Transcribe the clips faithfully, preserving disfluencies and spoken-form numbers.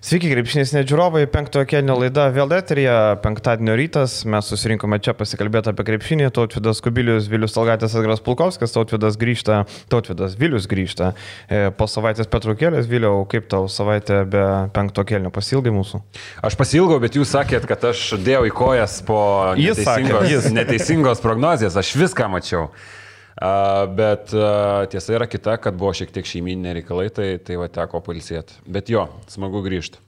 Sveiki, krepšinės nežiūrovai, penktojo kėlinio laida vėl eteryje, penktadienio rytas, mes susirinkome čia pasikalbėti apie krepšinį, Tautvydas Kubilius, Vilius Talgatis, Edgaras Pulkovskis, Tautvydas grįžta, Tautvydas Vilius grįžta po savaitės pertraukėlės. Viliau, kaip tau savaitė be penktojo kėlinio, pasilgai mūsų? Aš pasilgau, bet jūs sakėt, kad aš dėjau į kojas po neteisingos, sakė, neteisingos prognozijas, aš viską mačiau. Uh, bet uh, tiesa yra kita, kad buvo šiek tiek šeimyniniai reikalai, tai, tai va teko pailsėti. Bet jo, smagu grįžti.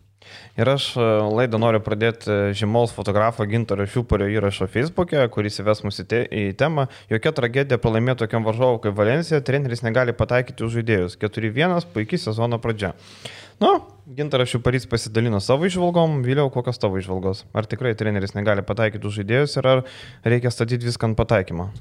Ir aš laidą noriu pradėti žymaus fotografo Gintaro Šiupario įrašo Facebook'e, kuris įves mus į, te, į temą. Jokia tragedija pralaimėti tokiam varžovui kaip Valencija, treneris negali pataikyti už žaidėjus. keturi vienas, puikiai sezono pradžia. Nu, Gintaras Šiuparys pasidalino savo išvalgom, Vėliau kokios tavo išvalgos? Ar tikrai treneris negali pataikyti už žaidėjus ir ar reikia statyti viską ant pataikymo?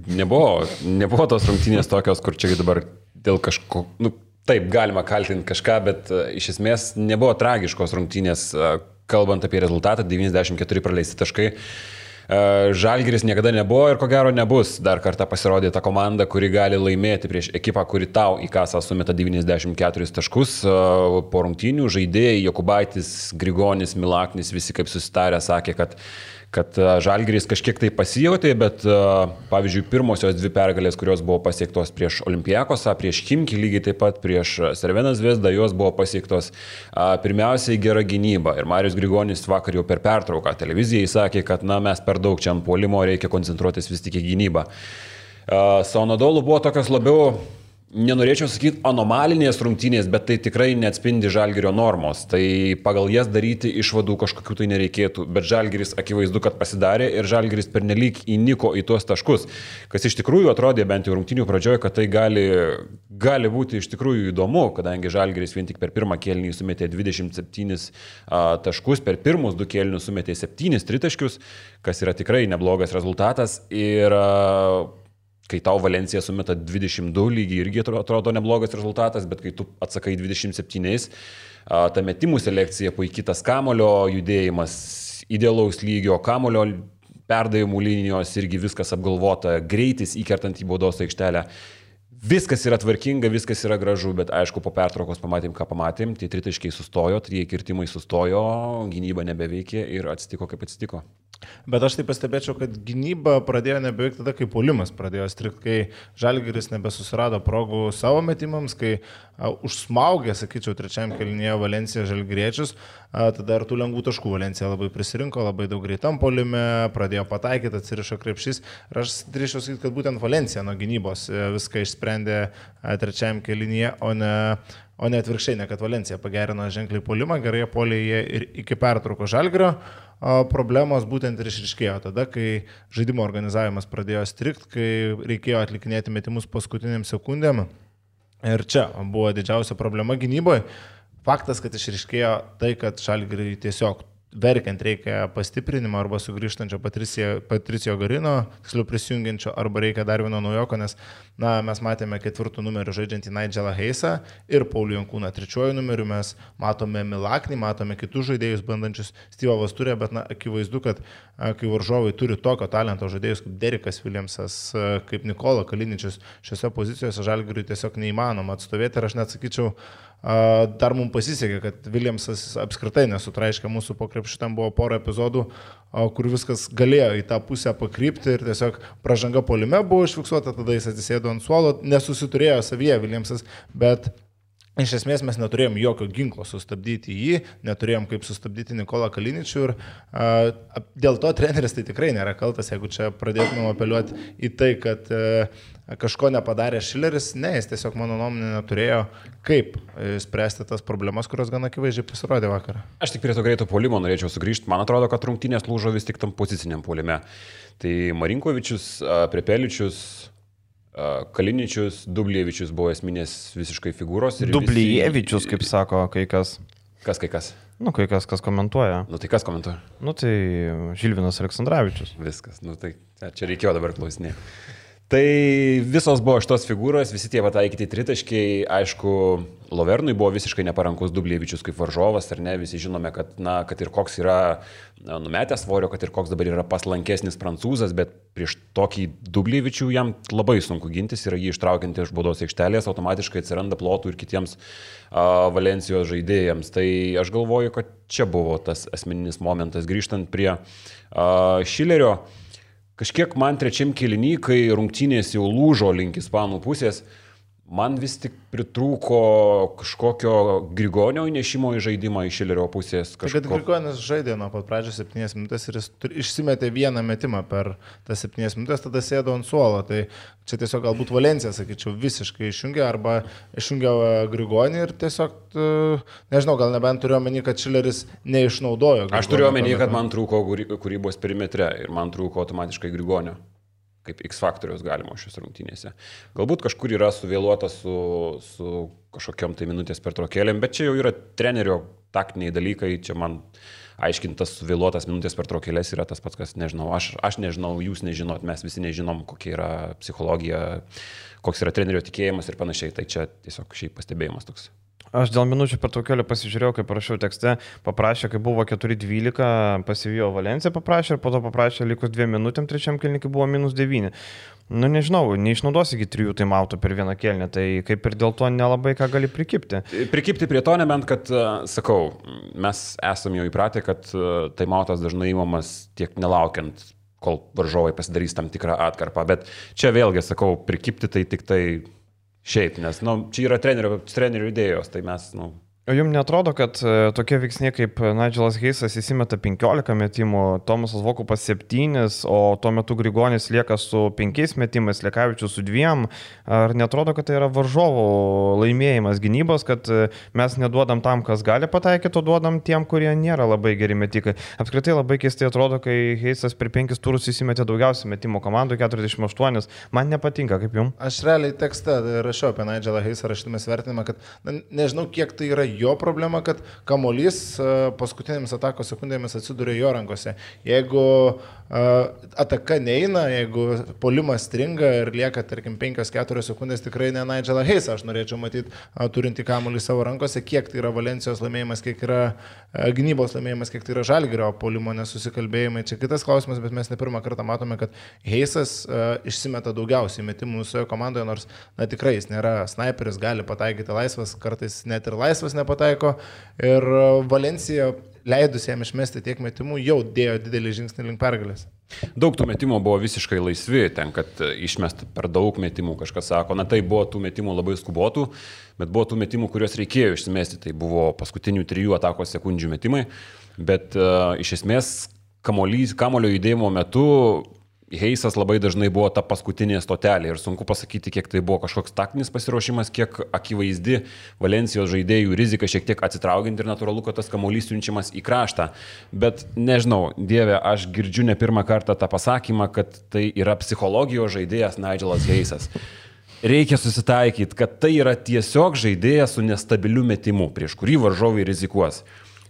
Nebuvo, nebuvo tos rungtynės tokios, kur čia dabar dėl kažko, nu, taip, galima kaltinti kažką, bet uh, iš esmės nebuvo tragiškos rungtynės, uh, kalbant apie rezultatą, devyniasdešimt keturi praleisti taškai. Uh, Žalgiris niekada nebuvo ir ko gero nebus. Dar kartą pasirodė ta komanda, kuri gali laimėti prieš ekipą, kuri tau į kasą sumeta devyniasdešimt keturis taškus. Uh, po rungtynių žaidėjai Jokubaitis, Grigonis, Milaknis, visi kaip susitarę sakė, kad kad Žalgiris kažkiek tai pasijautė, bet pavyzdžiui, pirmosios dvi pergalės, kurios buvo pasiektos prieš Olympiakosą, prieš Chimki, lygiai taip pat prieš Cervena Zvezdą, jos buvo pasiektos pirmiausiai gera gynyba. Ir Marius Grigonis vakar jau per pertrauką televizijai sakė, kad na, mes per daug čia ant puolimo, reikia koncentruotis vis tik į gynybą. Su Anadolu buvo tokios labiau, nenorėčiau sakyti, anomalinės rungtynės, bet tai tikrai neatspindi Žalgirio normos. Tai pagal jas daryti išvadų kažkokių tai nereikėtų. Bet Žalgiris akivaizdu, kad pasidarė ir Žalgiris pernelyg įniko į tuos taškus. Kas iš tikrųjų atrodė bent jau rungtynių pradžioje, kad tai gali, gali būti iš tikrųjų įdomu, kadangi Žalgiris vien tik per pirmą kėlinį sumetė dvidešimt septynis a, taškus, per pirmus du kėlinius sumetė septynis tritaškius, kas yra tikrai neblogas rezultatas. Ir a, kai tau Valencija sumeta dvidešimt du, lygiai irgi atrodo neblogas rezultatas, bet kai tu atsakai dvidešimt septyniais, ta metimų selekcija, puikitas kamulio judėjimas, idealaus lygio kamulio perdavimų linijos, irgi viskas apgalvota, greitis įkertant į baudos aikštelę. Viskas yra tvarkinga, viskas yra gražu, bet aišku, po pertraukos pamatėm, ką pamatėm, tie tritaškiai sustojo, trijai kirtimai sustojo, gynyba nebeveikė ir atsitiko, kaip atsitiko. Bet aš tai pastebėčiau, kad gynyba pradėjo nebeveikti tada, kai puolimas pradėjo strikti, kai Žalgiris nebesusirado progų savo metimams, kai a, užsmaugė, sakyčiau, trečiajam kėlinyje Valencija žalgiriečius, a, tada ir tų lengvų taškų Valencija labai prisirinko, labai daug greitam puolime, pradėjo pataikyti, atsirišo krepšys. Ir aš drįščiau sakyti, kad būtent Valencija nuo gynybos viską išsprendė a, trečiajam kėlinyje, o ne... O ne atvirkščiai, ne kad Valencija pagerino ženkliai puolimą, gerai puolė jie ir iki pertrauko Žalgirio. Problemos būtent ir išriškėjo tada, kai žaidimo organizavimas pradėjo strikt, kai reikėjo atlikinėti metimus paskutiniam sekundėm. Ir čia buvo didžiausia problema gynyboje. Faktas, kad išriškėjo tai, kad Žalgiriui tiesiog verkiant reikia pastiprinimo arba sugrįžtančio Patricijo, Patricijo Garino, tiksliau prisijungiančio, arba reikia dar vieno naujoko, nes na, mes matėme ketvirtų numerių žaidžiantį Nigelą Heisą ir Paulių Jankūną trečiuoju numeriu, mes matome Milaknį, matome kitus žaidėjus bandančius Steve'o Vasturę, bet na, akivaizdu, kad kai varžovai turi tokio talento žaidėjus kaip Derikas Williamsas, kaip Nikola Kaliničius, šiose pozicijose Žalgiriui tiesiog neįmanoma atstovėti ir aš net sakyčiau, dar mums pasisekė, kad Williamsas apskritai nesutraiškė mūsų po krepšiu, tam buvo pora epizodų, kur viskas galėjo į tą pusę pakrypti ir tiesiog pražanga puolime buvo užfiksuota, tada jis atsisėdo ant suolo, nesusiturėjo savyje Williamsas, bet iš esmės mes neturėjom jokio ginklo sustabdyti jį, neturėjom kaip sustabdyti Nikolą Kaliničių ir a, dėl to treneris tai tikrai nėra kaltas, jeigu čia pradėtumėm apeliuoti į tai, kad a, kažko nepadarė Šileris, ne, jis tiesiog mano nuomonė neturėjo kaip spręsti tas problemas, kurios gana akivaizdžiai pasirodė vakarą. Aš tik prie to greito puolimo norėčiau sugrįžti, man atrodo, kad rungtynės lūžo vis tik tam poziciniam puolime. Tai Marinkovičius, Prepeličius, Kaliničius, Dubljevičius buvo esminės visiškai figūros. Dubljevičius, visi... kaip sako kai kas. Kas kai kas? Nu, kai kas, kas komentuoja. Nu, tai kas komentuoja? Nu, tai Žilvinas Aleksandravičius. Viskas, nu, tai čia reikėjo dabar klausinėti. Tai visos buvo šitos figūros, visi tie pataikyti tritaškiai, aišku, Lovernui buvo visiškai neparankus Dubljevičius kaip varžovas, ar ne, visi žinome, kad, na, kad ir koks yra numetęs svorio, kad ir koks dabar yra paslankesnis prancūzas, bet prieš tokį Dubljevičių jam labai sunku gintis ir jį ištraukianti iš baudos aikštelės, automatiškai atsiranda plotų ir kitiems uh, Valencijos žaidėjams. Tai aš galvoju, kad čia buvo tas asmeninis momentas, grįžtant prie uh, Šilerio. Kažkiek man trečiam kėliny, kai rungtynės jau lūžo link ispanų pusės, man vis tik pritrūko kažkokio Grigonio įnešimo į žaidimą iš Šilerio pusės. Kažko... Kad Grigonis žaidė nuo pat pradžios septynias minutės ir jis išsimetė vieną metimą per tas septynias minutės, tada sėdo ant suolo. Tai čia tiesiog galbūt Valencija, sakyčiau, visiškai išjungė arba išjungė Grigonį ir tiesiog, nežinau, gal nebent turiu omeny, kad Šileris neišnaudojo Grigonio. Aš turiu omeny, kad man trūko kūrybos perimetre ir man trūko automatiškai Grigonio. Kaip X faktorius galima šios rungtynėse. Galbūt kažkur yra suvėluota su, su kažkokiam tai minutės pertraukėlėm, bet čia jau yra trenerio taktiniai dalykai, čia man aiškintas suvėluotas minutės pertraukėlės yra tas pats, kas nežinau, aš, aš nežinau, jūs nežinot, mes visi nežinom, kokia yra psichologija, koks yra trenerio tikėjimas ir panašiai, tai čia tiesiog šiaip pastebėjimas toks. Aš dėl minučių pertraukėlio pasižiūrėjau, kaip parašiau tekste, paprašė, kai buvo keturi dvylika, pasivijo Valenciją paprašė ir po to paprašė likus dviem minutėm, trečiam kėlinį, kai buvo minus devyni. Nu nežinau, neišnaudos iki trijų taimautų per vieną kėlinį, tai kaip ir dėl to nelabai ką gali prikipti. Prikipti prie to nebent, kad, sakau, mes esame jau įpratę, kad taimautas dažnai įmamas tiek nelaukiant, kol varžovai pasidarys tam tikrą atkarpą, bet čia vėlgi, sakau, prikipti tai tik tai šiaip, nes nu, čia yra trenerio, trenerio idėjos, tai mes... Nu... O jums netrodo, kad tokie veiksniai kaip Nigelas Heisas įsimeta penkiolika metimų, Tomasas Vokupas septynis, o tuo metu Grigonis lieka su penkiais metimais, Lekavičius su dviem, ar netrodo, kad tai yra varžovų laimėjimas gynybos, kad mes neduodam tam, kas gali pataikyti, o duodam tiem, kurie nėra labai geri metikai. Apskritai labai keistai atrodo, kai Heisas per penkis turus įsimetė daugiausiai metimų komandų, keturiasdešimt aštuoni, man nepatinka, kaip jums? Aš realiai tekste rašiau apie Nigelą Heisą, rašytume svertinimą, kad na, nežinau, kiek tai yra jo problema, kad kamuolys paskutinėmis atakos sekundėmis atsiduria jo rankose. Jeigu ataka neina, jeigu polimas stringa ir lieka, tarkim, penkios keturios sekundės, tikrai ne Nigelą Heisą aš norėčiau matyti turinti kamuolį savo rankose, kiek tai yra Valencijos laimėjimas, kiek yra gynybos laimėjimas, kiek tai yra Žalgirio polimo nesusikalbėjimai. Čia kitas klausimas, bet mes ne pirmą kartą matome, kad Heisas išsimeta daugiausiai metimų visoje komandoje, nors na, tikrai jis nėra sniperis, gali pataikyti laisvas, kartais net ir laisvas nepataiko. Ir Valencija, leidus jam išmesti tiek metimų, jau dėjo didelį žingsnį link pergalės. Daug tų metimų buvo visiškai laisvi, ten, kad išmest per daug metimų, kažkas sako, na tai buvo tų metimų labai skubotų, bet buvo tų metimų, kuriuos reikėjo išsimesti, tai buvo paskutinių trijų atakos sekundžių metimai, bet uh, iš esmės kamuolys, kamulio judėjimo metu Heisas labai dažnai buvo ta paskutinė stotelė ir sunku pasakyti, kiek tai buvo kažkoks taktinis pasiruošimas, kiek akivaizdi Valencijos žaidėjų rizika šiek tiek atsitraukiant ir natūralu, kad tas kamuolys siunčiamas į kraštą. Bet nežinau, Dieve, aš girdžiu ne pirmą kartą tą pasakymą, kad tai yra psichologijos žaidėjas Nigelas Heisas. Reikia susitaikyti, kad tai yra tiesiog žaidėjas su nestabiliu metimu, prieš kurį varžovai rizikuos.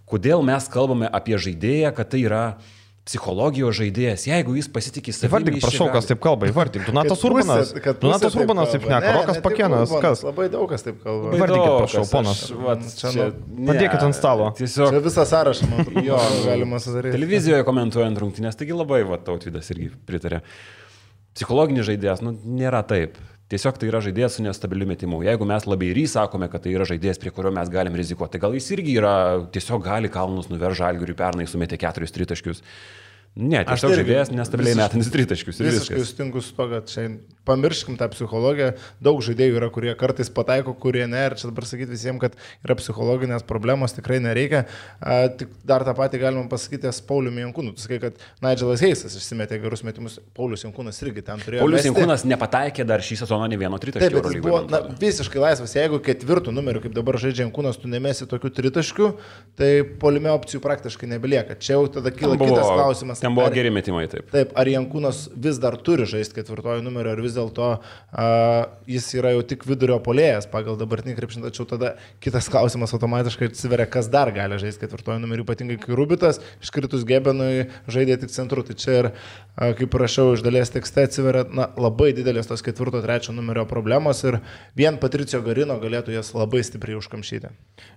Kodėl mes kalbame apie žaidėją, kad tai yra psichologijos žaidėjas, jeigu jis pasitikė savimi. Įvardyk, prašau, kas taip kalba, įvardyk. Donatas Urbanas. Donatas Urbanas taip šneka, Rokas Pakėnas, kas? Labai daug kas taip kalba. Įvardykit, prašau, ponas. Padėkit ant stalo. Tiesiog... Čia visą sąrašą, man jo, galima sudaryti. Televizijoje komentuojant rungtynės, taigi labai, va, Tautvydas irgi pritarė. Psichologinis žaidėjas, nu, nėra taip. Tiesiog tai yra žaidėjas su nestabiliu metimu. Jeigu mes labai ir sakome, kad tai yra žaidėjas, prie kurio mes galim rizikuoti, tai gal jis irgi yra, tiesiog gali kalnus nuveržti Žalgiriui, pernai sumetė keturis tritaškius. Ne, tiesiog žaidėjas nestabiliai metantis tritaškius. Visiškai sutinku su to, kad čia pamirškim tą psichologiją. Daug žaidėjų yra, kurie kartais pataiko, kurie ne. Ir čia dabar sakyti visiems, kad yra psichologinės problemos, tikrai nereikia. A, tik dar tą patį galima pasakyti su Pauliumi Jankūnu. Tu sakai, kad Nigelas Heisas išsimetė gerus metimus, Paulius Jankūnas irgi ten turėjo. Paulius Jankūnas nepataikė dar šį sezoną ne vieno tritaškio. Taip, jis buvo na, visiškai laisvas. Jeigu ketvirtų numerių, kaip dabar žaidžia Jankūnas, tu nemesi tokių tritaškių, tai puolime opcijų praktiškai nebelieka. Čia jau tada kyla kitas klausimas. Ten buvo ar, geri metimai, taip. Taip, ar Jankūnas vis dar turi žaisti ketvirtojų numerio, ar vis dėlto uh, jis yra jau tik vidurio polėjas pagal dabartinį krepšinį, tačiau tada kitas klausimas automatiškai atsiveria, kas dar gali žaisti ketvirtojų numerį, ypatingai kai Rubitas iškritus Gebenui žaidė tik centru. Tai čia ir, uh, kaip rašiau iš dalies tekste, atsiveria na, labai didelės tos ketvirto, trečio numerio problemos ir vien Patricio Garino galėtų jas labai stipriai užkamšyti.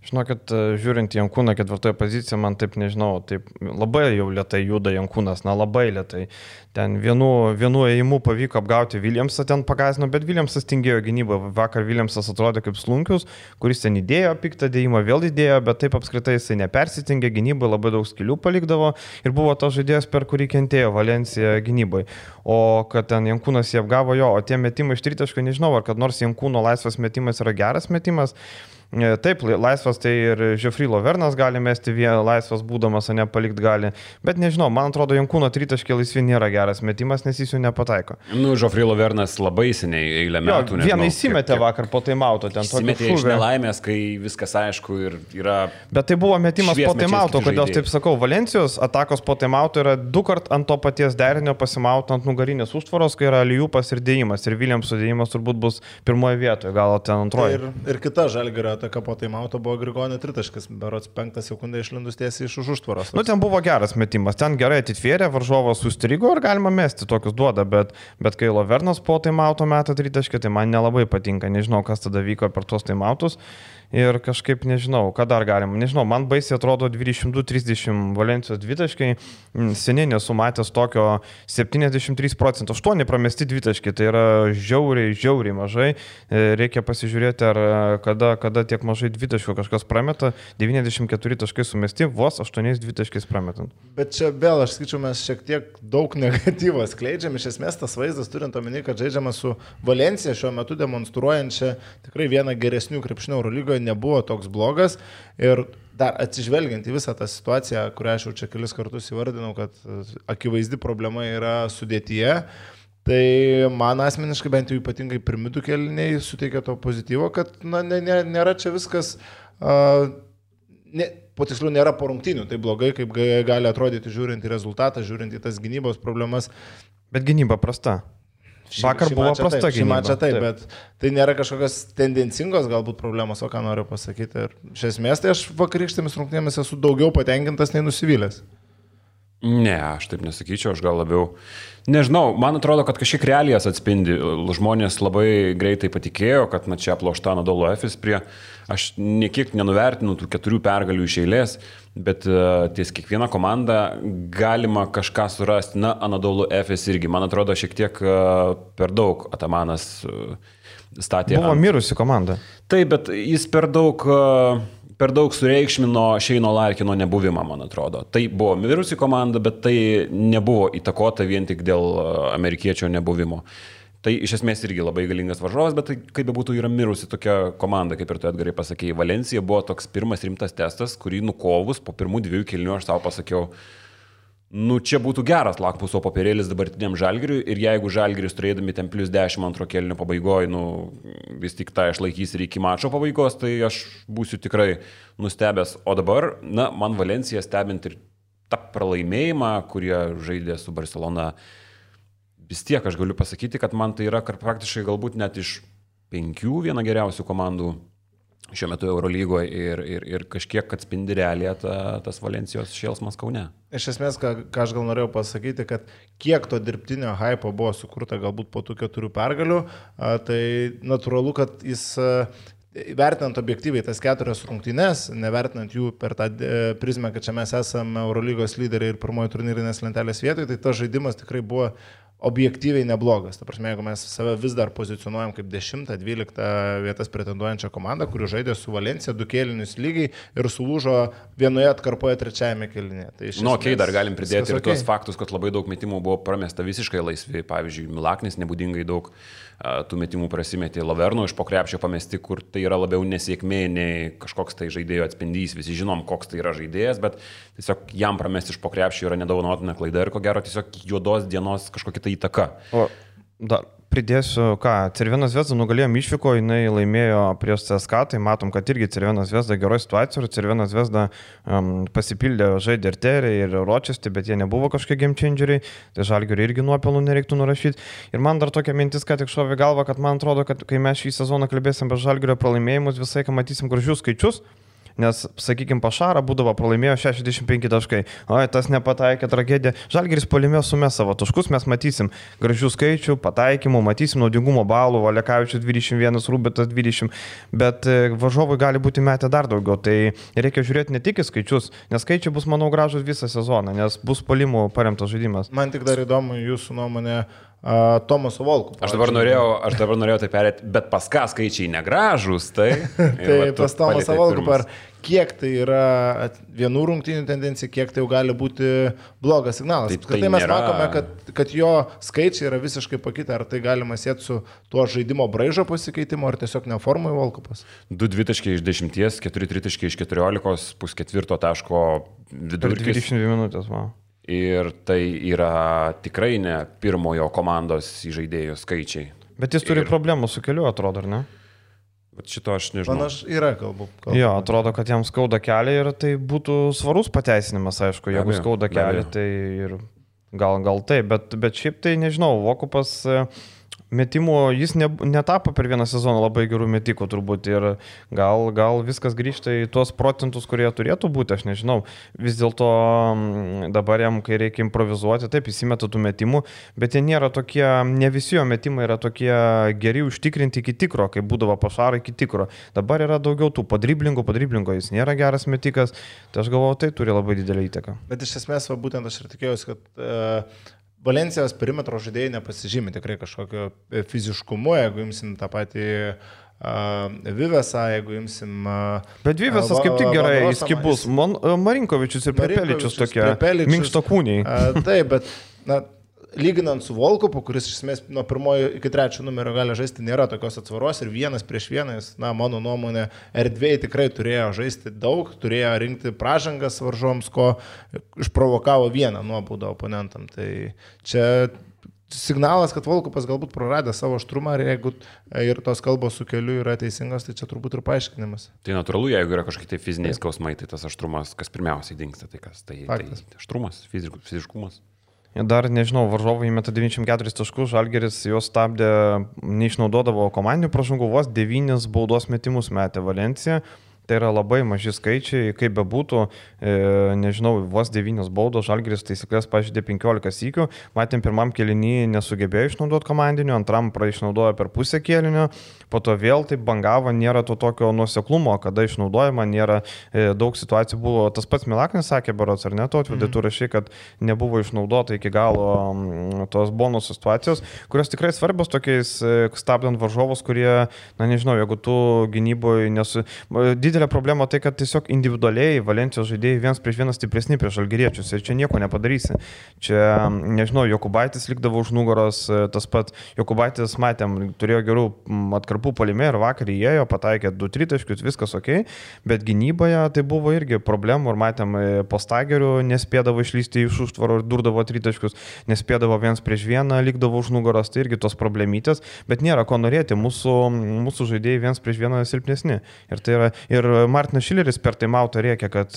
Žinokit, žiūrint į Jankūną ketvirtoje poziciją, man taip nežinau, taip labai jau lietai juda Jankūnas, na labai lietai. Ten vienu, vienu ėjimu pavyko apgauti Williamsą, ten pagazino, bet Williamsas tingėjo gynybą. Vakar Williamsas atrodė kaip slunkius, kuris ten įdėjo piktą dėjimą, vėl įdėjo, bet taip apskritai jisai nepersitingė gynybai, labai daug skilių palikdavo ir buvo tas žaidėjas, per kurį kentėjo Valencija gynybai. O kad ten Jankūnas jį apgavo jo, o tie metimai iš tritaškio, nežinau, ar kad nors Jankūno laisvas metimas yra geras metimas. Taip, laisvas tai ir Žefry Lovernas gali mesti, laisvas būdamas, o ne palikti gali. Bet nežinau, man atrodo, Jankūno tritaškė laisvi nėra geras metimas, nes jis jų nepataiko. Nu, Žefry Lovernas labai seniai eilę metų. Jo, vieną įsimetė vakar po taimauto. Įsimetė iš nelaimės, kai viskas aišku ir yra... Bet tai buvo metimas po taimauto, kodėl taip sakau. Valencijos atakos po taimauto yra du kart ant to paties derinio pasimauto ant nugarinės užtvaros, kai yra liupas ir dėjimas. Ir Williamso dėjimas turbūt bus pirmoje vietoje, gal ten antroje. Ir, ir kita Žalgirio ataka po taimauto buvo Grigonio tritaškis, berods penktą sekundę išlindus tiesiai iš už užtvaros. Nu, ten buvo geras metimas, ten gerai atitvėrė, varžovas sustrigo ir galima mesti, tokius duoda, bet, bet kai Lovernas po taimauto metą tritaškį, tai man nelabai patinka, nežinau, kas tada vyko per tuos taimautus. Ir kažkaip nežinau, ką dar galima. Nežinau, man baisiai atrodo dvidešimt du trisdešimt Valencijos dvitaškai. Seniai nesu matęs tokio septyniasdešimt trys procentų. aštuoni pramesti dvitaškai. Tai yra žiauriai, žiauriai mažai. Reikia pasižiūrėti, ar kada, kada tiek mažai dvitaškų kažkas prameta. devyniasdešimt keturi taškai sumesti, vos aštuoniais dvitaškais prametant. Bet čia vėl, aš skaičiu, mes šiek tiek daug negatyvo skleidžiam. Iš esmės tas vaizdas, turint omeny, kad žaidžiama su Valencija šiuo metu demonstruojančia tikrai vieną geresnių krepšinio Eurolygoje, nebuvo toks blogas ir dar atsižvelgiant į visą tą situaciją, kurią aš jau čia kelis kartus įvardinau, kad akivaizdi problema yra sudėtyje, tai man asmeniškai bent jau ypatingai pirmidų keliniai suteikia to pozityvo, kad na, ne, ne, nėra čia viskas, uh, ne, po tiksliau nėra po rungtynių, tai blogai, kaip gali atrodyti žiūrint į rezultatą, žiūrint į tas gynybos problemas. Bet gynyba prasta. Vakar buvo prasta gynyba. Taip, taip, bet tai nėra kažkokios tendencingos galbūt problemos, o ką noriu pasakyti. Ir iš esmės, tai aš vakarykštėmis rungtynėmis esu daugiau patenkintas nei nusivylęs. Ne, aš taip nesakyčiau, aš gal labiau... Nežinau, man atrodo, kad kažkiek realijas atspindi. Žmonės labai greitai patikėjo, kad na, čia aplošta Anadolu Efes prie... Aš niekiek nenuvertinu tų keturių pergalių iš eilės, bet uh, ties kiekvieną komandą galima kažką surasti. Na, Anadolu Efes irgi, man atrodo, šiek tiek uh, per daug Atamanas uh, statė... Buvo ant... mirusi komanda. Taip, bet jis per daug... Uh, per daug sureikšmino Šeino Larkino nebuvimą, man atrodo. Tai buvo mirusi komanda, bet tai nebuvo įtakota vien tik dėl amerikiečio nebuvimo. Tai iš esmės irgi labai galingas varžovas, bet tai kaip bebūtų yra mirusi tokia komanda, kaip ir tu Edgarai pasakėjai. Valencija buvo toks pirmas rimtas testas, kurį nukovus po pirmų dviejų kėlinių aš savo pasakiau, nu čia būtų geras lakmuso popierėlis dabartiniam Žalgiriui ir jeigu Žalgiris turėdami ten plus dešimt antro kėlinio pabaigoje, nu vis tik tą išlaikys ir iki mačo pabaigos, tai aš būsiu tikrai nustebęs. O dabar, na, man Valencija stebint ir tą pralaimėjimą, kurie žaidė su Barcelona, vis tiek aš galiu pasakyti, kad man tai yra praktiškai galbūt net iš penkių viena geriausių komandų šiuo metu Eurolygoje ir, ir, ir kažkiek atspindi realiją ta, tas Valencijos šėlsmas Kaune. Iš esmės, ką, ką aš gal norėjau pasakyti, kad kiek to dirbtinio hypo buvo sukurta galbūt po tų keturių pergalių, tai natūralu, kad jis vertinant objektyviai tas keturias rungtynes, nevertinant jų per tą prizmę, kad čia mes esame Eurolygos lyderiai ir pirmoji turnyrinės lentelės vietoje, tai tas žaidimas tikrai buvo objektyviai neblogas. Ta prasme, jeigu mes save vis dar pozicionuojam kaip dešimtą, dvyliktą vietas pretenduojančią komandą, kuri žaidė su Valencija du kėlinius lygiai ir sulūžo vienoje atkarpoje trečiajame kėlinyje. Tai nu, okei, okay, dar galim pridėti ir okay. tuos faktus, kad labai daug metimų buvo pramesta visiškai laisvi. Pavyzdžiui, Milaknis nebūdingai daug uh, tų metimų prasimetė, Laverno iš po krepšio pamesti, kur tai yra labiau nesėkmė nei kažkoks tai žaidėjo atspindys. Visi žinom, koks tai yra žaidėjas, bet tiesiog jam pramesti iš po krepšio yra nedovanotina klaida ir ko gero tiesiog juodos dienos kažkokia tai įtaka. O Dar pridėsiu, ką, Cervena Zvezda nugalėjo Mišviko, jinai laimėjo prieš C S K, tai matom, kad irgi Cervena Zvezda geroje situacijoje ir Cervena Zvezda um, pasipildė žaidė ir Terė, ir Rochester, bet jie nebuvo kažkokie game changeriai, tai Žalgiriui irgi nuopelnų nereiktų nurašyti. Ir man dar tokia mintis, kad tik šovė galva, kad man atrodo, kad kai mes šį sezoną kalbėsim apie Žalgirio pralaimėjimus, visai, kai matysim gražius skaičius. Nes, sakykime, Pašarą būdavo pralaimėjo šešiasdešimt penki taškai. O, tas nepataikė, tragedija. Žalgiris puolime sumė savo taškus, mes matysim gražių skaičių, pataikymų, matysim naudingumo balų, Valekavičius dvidešimt vienas, Rubitas dvidešimt, bet varžovai gali būti metę dar daugiau. Tai reikia žiūrėti ne tik į skaičius, nes skaičiai bus, manau, gražus visą sezoną, nes bus puolimų paremtas žaidimas. Man tik dar įdomu jūsų nuomonė. Uh, Tomaso Volku. Aš dabar norėjau, aš dabar norėjau tai perėti, bet pas ką skaičiai negražus, tai... tai pas Tomasą Volku par kiek tai yra vienų rungtynių tendencija, kiek tai jau gali būti blogas signalas. Tai, tai, tai mes nėra... matome, kad, kad jo skaičiai yra visiškai pakitę, ar tai galima sėti su tuo žaidimo braižo pasikeitimu, ar tiesiog neformai Volkupas. du dvitaškiai iš dešimties, keturi tritaškiai iš keturiolikos, pusketvirto taško vidurkis. dvidešimt dvi minutės, va. Ir tai yra tikrai ne pirmojo komandos žaidėjų skaičiai. Bet jis turi ir... problemų su keliu, atrodo, ar ne? Bet šito aš nežinau. Panaš yra, kalbu. kalbu. Jo, atrodo, kad jam skauda kelią ir tai būtų svarus pateisinimas, aišku, jeigu abejo, skauda kelią, tai ir gal, gal tai, bet, bet šiaip tai nežinau, Vokupas... Metimų jis ne, netapo per vieną sezoną labai gerų metikų turbūt ir gal, gal viskas grįžta į tuos procentus, kurie turėtų būti, aš nežinau. Vis dėlto dabar jam, kai reikia improvizuoti, taip įsimeta tų metimų, bet jie nėra tokie, ne visi jo metimai yra tokie geri užtikrinti iki tikro, kaip būdavo Pašarai iki tikro. Dabar yra daugiau tų padriblingų, padriblingo jis nėra geras metikas, tai aš galvoju, tai turi labai didelį įtaką. Bet iš esmės, va, būtent aš ir tikėjausi, kad... Uh... Valencijos perimetro žaidėjai nepasižymė tikrai kažkokio fiziškumu, jeigu imsim tą patį uh, Vivesą, jeigu imsim... Uh, Bet Vivesas kaip tik gerai skibus, Man, uh, Marinkovičius ir Prepeličius tokie minkštakūniai. Uh, taip, bet na, lyginant su Volkupu, kuris iš esmės nuo pirmojo iki trečio numerio gali žaisti, nėra tokios atsvaros ir vienas prieš vieną, jis, na, mano nuomonė, erdvėjai tikrai turėjo žaisti daug, turėjo rinkti pražangas varžoms, ko išprovokavo vieną nuobaudą oponentam. Tai čia signalas, kad Volkupas galbūt praradė savo aštrumą ir jeigu ir tos kalbos su keliu yra teisingos, tai čia turbūt ir paaiškinimas. Tai natūralu, jeigu yra kažkokie tai fiziniai skausmai, tai tas aštrumas, kas pirmiausiai dingsta, tai kas? Tai, tai aštrumas, fiziškumas. Dar, nežinau, varžovai įmeta devyniasdešimt keturis taškus, Žalgiris juos stabdė, neišnaudodavo komandinių pražangų, vos devynis baudos metimus metė Valencija. Tai yra labai maži skaičiai, kaip bebūtų, e, nežinau, vos devynios baudos, Žalgiris taisyklės pažeidė penkiolika sykių, matėm pirmam kėlinį nesugebėjo išnaudoti komandinio, antram išnaudojo per pusę kėlinio, po to vėl taip bangavo, nėra to tokio nuoseklumo, kada išnaudojama, nėra e, daug situacijų buvo, tas pats Milaknis sakė, berods ar ne, to atvedė, tu rašai, kad nebuvo išnaudota iki galo m, tos bonusų situacijos, kurios tikrai svarbios tokiais e, stabdant varžovus, kurie, na nežinau, jeigu tu gynyboje nesu... Didelė problema tai, kad tiesiog individualiai Valencijos žaidėjai vienas prieš vienas stipresni prieš žalgiriečius ir čia nieko nepadarysi. Čia, nežinau, Jokubaitis likdavo už nugaros, tas pat Jokubaitis, matėm, turėjo gerų atkarpų puolime ir vakar įėjo, pataikė du tritaškius, viskas ok, bet gynyboje tai buvo irgi problemų ir matėm, po Stagerių nespėdavo išlysti iš užtvaro ir durdavo tritaškius, nespėdavo vienas prieš vieną, likdavo už nugaros, tai irgi tos problemytės, bet nėra ko norėti, mūsų, mūsų žaidėjai vienas prieš vieną silpnesni. Ir tai yra, ir Martinas Šileris per taimautą rėkė, kad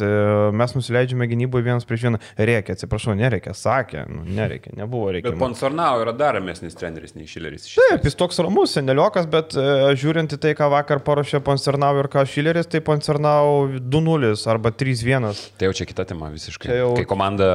mes nusileidžiame gynyboje vienas prieš vieną. Rėkė, atsiprašau, nereikia, sakė, nu, nereikia, nebuvo reikia. Bet Ponsarnau yra dar ramesnis treneris nei Šileris. Taip, jis toks ramus, seneliokas, bet žiūrint į tai, ką vakar paruošė Ponsarnau ir ką Šileris, tai Ponsarnau du nulis arba trys vienas. Tai jau čia kita tema visiškai. Jau... Kai komanda...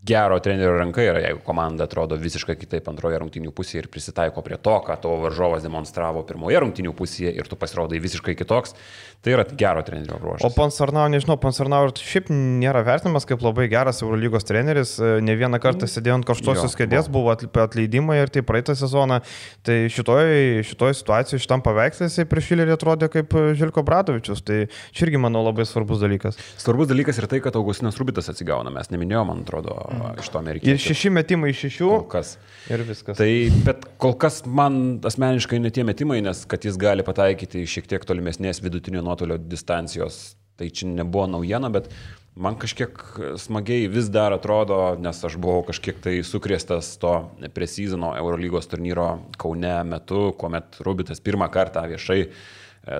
Gero trenerio ranka yra, jeigu komanda atrodo visiškai kitaip antroje rungtynių pusėje ir prisitaiko prie to, ką tavo varžovas demonstravo pirmoje rungtynių pusėje ir tu pasirodai visiškai kitoks, tai yra gero trenerio bruožas. O Ponsarnau, nežinau, Ponsarnau šiaip nėra vertinamas kaip labai geras Eurolygos treneris, ne vieną kartą sėdėjo ant karštosios kėdės, buvo atleidimai ir tai praeitą sezoną, tai šitoje šitoj situacijoje, šitam paveikslė jisai prieš Šilerį atrodė kaip Željko Bradovičius, tai čia irgi, manau, labai svarbus dalykas. Svarbus dalykas ir tai, kad Augustinas Rubitas atsigauna, mes neminėjome, man atrodo, iš to amerikiečių. Ir šeši metimai iš šešių. Kol kas. Ir viskas. Tai, bet kol kas man asmeniškai ne tie metimai, nes kad jis gali pataikyti šiek tiek tolimesnės vidutinio nuotolio distancijos, tai čia nebuvo naujiena, bet man kažkiek smagiai vis dar atrodo, nes aš buvau kažkiek tai sukrėstas to pre-seasono Eurolygos turnyro Kaune metu, kuomet Rubitas pirmą kartą viešai e,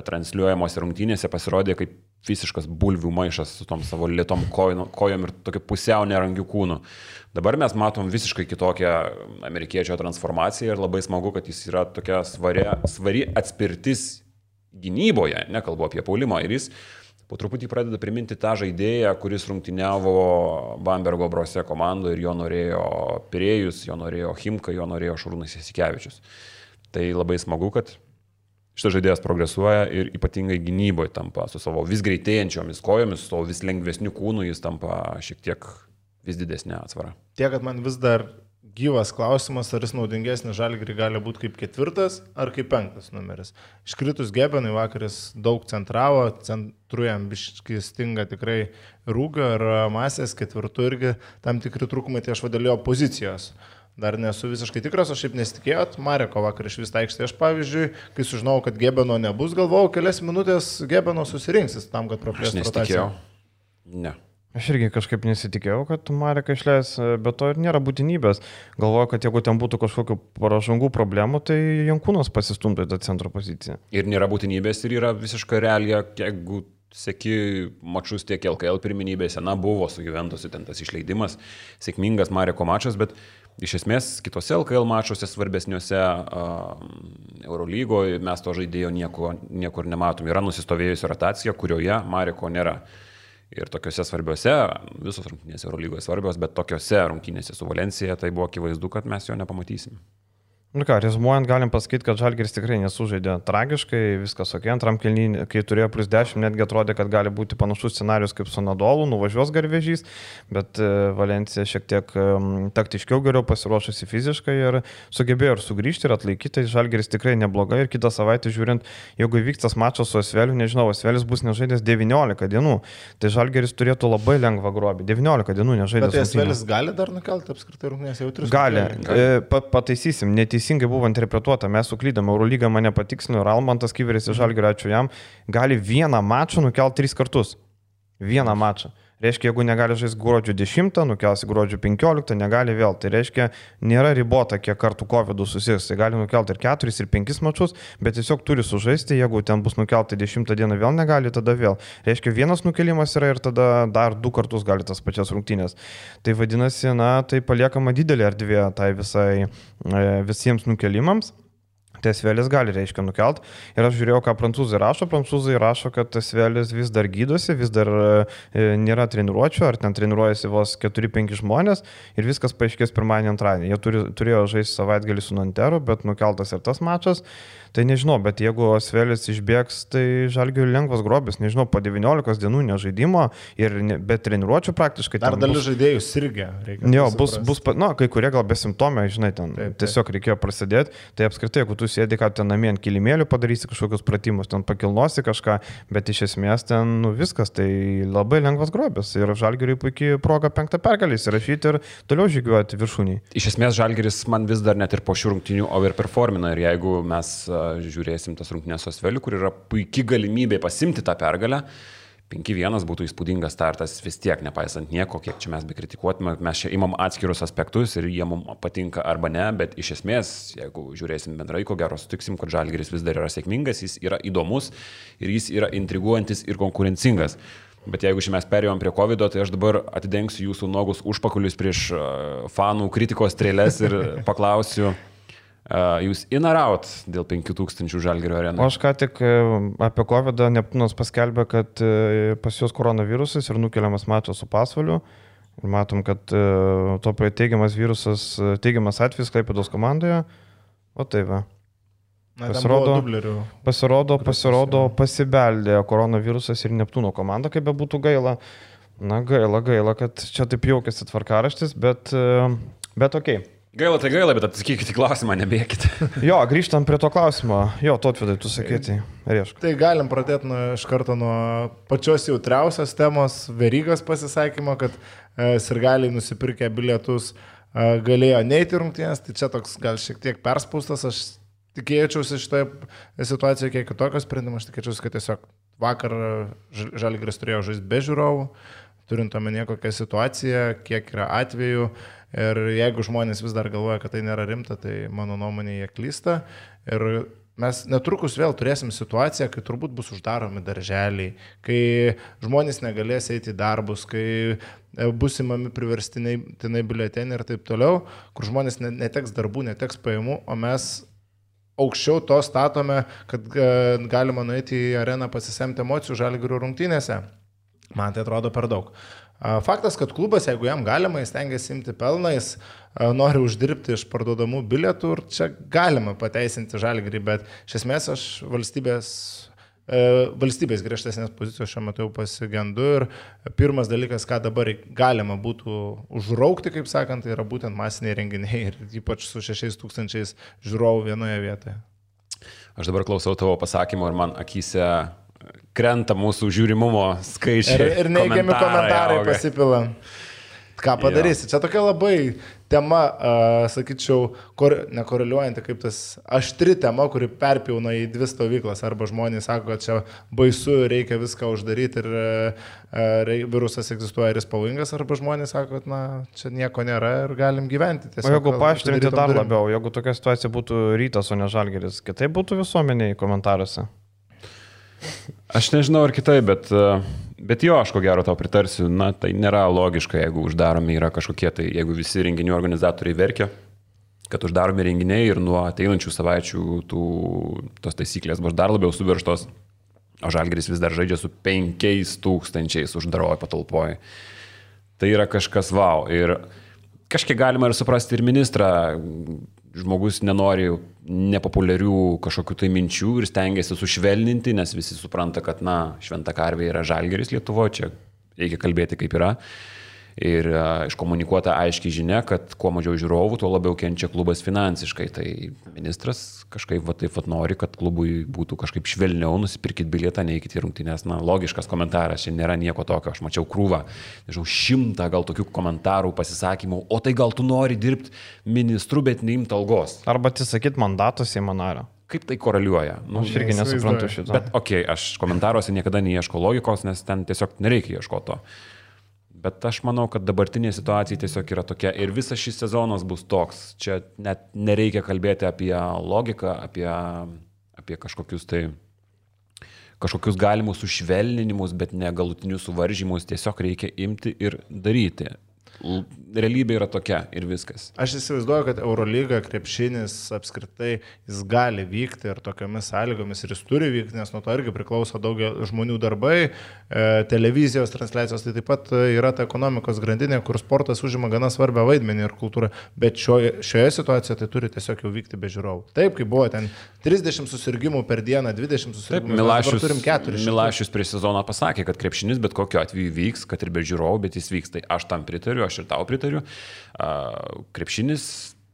transliuojamos rungtynėse pasirodė kaip visiškas bulvių maišas su tom savo lietom kojom, kojom ir tokiu pusiau nerangių kūnų. Dabar mes matom visiškai kitokią amerikiečio transformaciją ir labai smagu, kad jis yra tokia svari, svari atspirtis gynyboje, nekalbu apie puolimą, ir jis po truputį pradeda priminti tą žaidėją, kuris rungtyniavo Bambergo Brose komandoje ir jo norėjo Pirėjus, jo norėjo Chimka, jo norėjo Šarūnas Jasikevičius. Tai labai smagu, kad šitas žaidėjas progresuoja ir ypatingai gynyboje tampa su savo vis greitėjančiomis kojomis, su savo vis lengvesniu kūnu, jis tampa šiek tiek vis didesnė atsvara. Tiek, kad man vis dar gyvas klausimas, ar jis naudingesnis Žalgiriui gali būti kaip ketvirtas ar kaip penktas numeris. Iškritus Gebenui vakaris daug centravo, centruojam biškai stinga tikrai rūgio ir masės, ketvirtų irgi tam tikri trūkumai, tai aš vadėlėjau pozicijos. Dar nesu visiškai tikras, aš šiaip nesitikėjot, Mareko vakar iš vis aikštė. Aš pavyzdžiui, kai sužinau, kad Gebeno nebus, galvojau, kelias minutės Gebeno susirinksis tam, kad praplėstų rotaciją. Ne. Aš irgi kažkaip nesitikėjau, kad Mareka išleis, bet to ir nėra būtinybės. Galvoju, kad jeigu ten būtų kažkokių paražangų problemų, tai Jankūnas pasistumtų į tą centro poziciją. Ir nėra būtinybės ir yra visiška realija, jeigu seki mačus tiek L K L pirmenybėse, na, buvo su Juventusu ten tas išleidimas, sėkmingas Mareko mačas, bet iš esmės kitose L K L mačuose svarbesniuose uh, Eurolygoje mes to žaidėjo nieko, niekur nematom. Yra nusistovėjusi rotacija, kurioje Mareko nėra. Ir tokiuose svarbiuose, visos rungtynės Eurolygoje svarbios, bet tokiuose rungtynėse su Valencija tai buvo akivaizdu, kad mes jo nepamatysim. Nu ką, rezumuojant, galim pasakyti, kad Žalgiris tikrai nesužaidė tragiškai, viskas ok, antram kėlinį, kai turėjo plus dešimt, netgi atrodė, kad gali būti panašus scenarius kaip su Nadolu, nuvažiuos Garvežys, bet Valencija šiek tiek taktiškiau geriau pasiruošusi fiziškai ir sugebėjo ir sugrįžti ir atlaikyti, tai Žalgiris tikrai neblogai ir kitą savaitę žiūrint, jeigu vyks tas mačas su Asveliu, nežinau, Asvelis bus nežaidęs devyniolika dienų, tai Žalgiris turėtų labai lengvą grobį, devyniolika dienų nežaidęs. Bet Asvelis gali dar nukelti apskritai rungtynės jau tris? Gali, gali. Pataisysim, neteisingai. Teisingai buvo interpretuota, mes suklydome, Eurolyga mane patikslino ir Almantas Kiveris iš Žalgirio, ačiū jam, gali vieną mačą nukelti tris kartus. Vieną mačą. Reiškia, jeigu negali žaisti gruodžio dešimtą, nukelsi gruodžio penkioliktą, negali vėl. Tai reiškia, nėra ribota, kiek kartų COVID susirgs. Tai gali nukelti ir keturis, ir penkis mačus, bet tiesiog turi sužaisti, jeigu ten bus nukelti dešimtą dieną vėl negali, tada vėl. Reiškia, vienas nukelimas yra ir tada dar du kartus gali tas pačias rungtynės. Tai vadinasi, na, tai paliekama didelė erdvė tai visai, visiems nukelimams. Tai Asvelis gali, reiškia, nukelt. Ir aš žiūrėjau, ką prancūzai rašo. Prancūzai rašo, kad Asvelis vis dar gydosi, vis dar e, nėra treniruočio, ar ten treniruojasi vos keturi penki žmonės ir viskas paaiškės pirmadienį, antradienį. Jie turi, turėjo žaisti savaitgalį su Nanteru, bet nukeltas ir tas mačas. Tai nežinau, bet jeigu Asvelis išbėgs, tai Žalgiriui lengvas grobis. Nežinau, po devyniolikos dienų nežaidimo ir ne, be treniruočio praktiškai. Dar dalis žaidėjų sirgė. Jo, bus, bus, na, kai kurie gal besimptomė, žinai, ten taip, taip. Tiesiog reikėjo prasidėti. Tai apskritai, jeigu tu sėdi, kad ten namie ant kilimėlių padarysi kažkokius pratimus, ten pakilnosi kažką, bet iš esmės ten nu, viskas, tai labai lengvas grobis. Ir Žalgiriui puikiai proga penktą pergalį įsirašyti ir toliau žygiuoti viršūnį. Iš esmės Žalgiris man vis dar net ir po šių rungtynių overperformina ir jeigu mes žiūrėsim tas rungtynės su Asveliu, kur yra puikia galimybė pasimti tą pergalę, penki vienas būtų įspūdingas startas vis tiek, nepaisant nieko, kiek čia mes bekritikuotume, mes čia imam atskirus aspektus ir jie mums patinka arba ne, bet iš esmės, jeigu žiūrėsim bendrai, ko gero sutiksim, kad Žalgiris vis dar yra sėkmingas, jis yra įdomus ir jis yra intriguojantis ir konkurencingas. Bet jeigu šiandien mes perėjom prie COVID, tai aš dabar atidengsiu jūsų nuogus užpakulius prieš fanų kritikos strėlės ir paklausiu, Uh, jūs in ar out dėl penkių tūkstančių Žalgirio arenų? Aš ką tik apie COVID Neptūnas paskelbė, kad pas juos koronavirusas ir nukeliamas mačas su Pasvaliu. Ir matom, kad to teigiamas virusas, teigiamas atvejis Klaipėdos komandoje. O tai va. Na, pasirodo, pasirodo, pasirodo, pasibeldė koronavirusas ir Neptūno komanda, kaip be būtų gaila. Na, gaila, gaila, kad čia taip jaukėsi tvarkaraštis, bet, bet okei. Okay. Gaila tai gaila, bet atsakykite klausimą, nebėkite. Jo, grįžtam prie to klausimo. Jo, Tautvidai, tu sakyti, riešk. Tai galim pradėti nuo, iš karto nuo pačios jautriausios temos, Verygos pasisakymo, kad e, sirgaliai nusipirkę bilietus e, galėjo neiti rungtynės, tai čia toks gal šiek tiek perspaustas, aš tikėčiausi šitoje situacijoje kiek kitokio sprendimo, aš tikėčiausi, kad tiesiog vakar Žalgiris turėjo žaisti be žiūrovų. turint omenyje kokią situaciją, kiek yra atvejų. Ir jeigu žmonės vis dar galvoja, kad tai nėra rimta, tai mano nuomonė jie klysta. Ir mes netrukus vėl turėsim situaciją, kai turbūt bus uždaromi darželiai, kai žmonės negalės eiti į darbus, kai bus įmami priverstiniai biuleteniai ir taip toliau, kur žmonės neteks darbų, neteks pajamų, o mes aukščiau to statome, kad galima nueiti į areną pasisemti emocijų Žalgirio rungtynėse. Man tai atrodo per daug. Faktas, kad klubas, jeigu jam galima, jis stengiasi imti pelnais, nori uždirbti iš parduodamų bilietų ir čia galima pateisinti Žalgirį, bet iš esmės aš valstybės, valstybės griežtesnės pozicijos šiuo metu jau pasigendu ir pirmas dalykas, ką dabar galima būtų užraukti, kaip sakant, tai yra būtent masiniai renginiai ir ypač su šešiais tūkstančiais žiūrovų vienoje vietoje. Aš dabar klausau tavo pasakymo ir man akyse krenta mūsų žiūrimumo skaičiai. Ir, ir neigiami komentarai, komentarai pasipila. Ką padarysi? Jo. Čia tokia labai tema, uh, sakyčiau, kor, nekoreliuojanti, kaip tas aštri tema, kuri perpjauna į dvi stovyklas. Arba žmonės sako, kad čia baisu, reikia viską uždaryti ir uh, virusas egzistuoja ir jis pavojingas. Arba žmonės sako, kad na, čia nieko nėra ir galim gyventi. Tiesiog, o jeigu paaštrinti dar durim. Labiau, jeigu tokia situacija būtų Rytas, o ne Žalgiris, kitaip būtų visuomeniai komentaruose? Aš nežinau ar kitai, bet, bet jo, aš ko gero tau pritarsiu, na tai nėra logiška, jeigu uždaromi yra kažkokie, tai jeigu visi renginių organizatoriai verkia, kad uždaromi renginiai ir nuo ateinančių savaičių tų, tos taisyklės bus dar labiau suvirštos, o Žalgiris vis dar žaidžia su penkiais tūkstančiais uždaroje patalpoje. Tai yra kažkas vau. Ir kažkiek galima ir suprasti ir ministrą. Žmogus nenori nepopuliarių kažkokių tai minčių ir stengiasi sušvelninti, nes visi supranta, kad, na, šventa karvė yra Žalgiris Lietuvoje, čia reikia kalbėti kaip yra. Ir uh, iškomunikuota aiškiai žinia, kad kuo mažiau žiūrovų, tuo labiau kenčia klubas finansiškai. Tai ministras kažkaip va taip va nori, kad klubui būtų kažkaip švelniau, nusipirkit bilietą, neikit į rungtynes. Na, logiškas komentaras, čia nėra nieko tokio. Aš mačiau krūvą, nežinau, šimtą gal tokių komentarų, pasisakymų, o tai gal tu nori dirbti ministru, bet neimti algos. Arba atsisakyt mandato Seimo nario. Kaip tai koreliuoja? Nu, aš irgi nesuprantu šito. Bet okei, okay, aš komentaruose niekada neieško logikos, nes ten tiesiog nereikia ieškoti to. Bet aš manau, kad dabartinė situacija tiesiog yra tokia ir visas šis sezonas bus toks. Čia net nereikia kalbėti apie logiką, apie, apie kažkokius tai kažkokius galimus sušvelninimus, bet ne galutinius suvaržymus. Tiesiog reikia imti ir daryti. Realybė yra tokia ir viskas. Aš įsivaizduoju, kad Eurolyga, krepšinis apskritai, jis gali vykti ir tokiamis sąlygomis ir jis turi vykti, nes nuo to irgi priklauso daugelio žmonių darbai, e, televizijos transliacijos, tai taip pat yra ta ekonomikos grandinė, kur sportas užima gana svarbią vaidmenį ir kultūrą, bet šioje, šioje situacijoje tai turi tiesiog jau vykti be žiūrovų. Taip, kaip buvo ten trisdešimt susirgymų per dieną, dvidešimt susirgymų, Milašius, turim keturis. Milašius prieš sezoną pasakė, kad krepšinis bet kokiu atveju vyks, kad ir be žiūrovų, bet jis vyks. Tai aš tam pritariu, aš ir tau pritariu. Krepšinis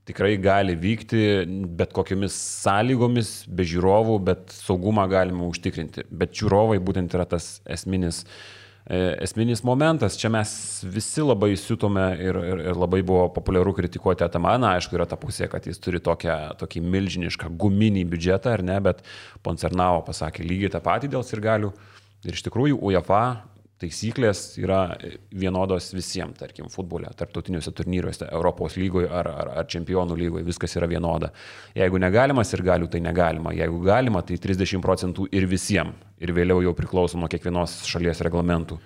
tikrai gali vykti bet kokiamis sąlygomis, be žiūrovų, bet saugumą galima užtikrinti. Bet žiūrovai būtent yra tas esminis, esminis momentas. Čia mes visi labai siutome ir, ir, ir labai buvo populiaru kritikuoti Atamaną. Aišku, yra ta pusė, kad jis turi tokią, tokį milžinišką guminį biudžetą, ar ne, bet Poncernavo pasakė lygiai tą patį dėl sirgalių. Ir iš tikrųjų UEFA taisyklės yra vienodos visiems, tarkim, futbole, tarptautiniuose turnyruose, Europos lygoje ar, ar, ar čempionų lygoje, viskas yra vienoda. Jeigu negalima sirgalių, tai negalima. Jeigu galima, tai trisdešimt procentų ir visiems. Ir vėliau jau priklauso nuo kiekvienos šalies reglamentų.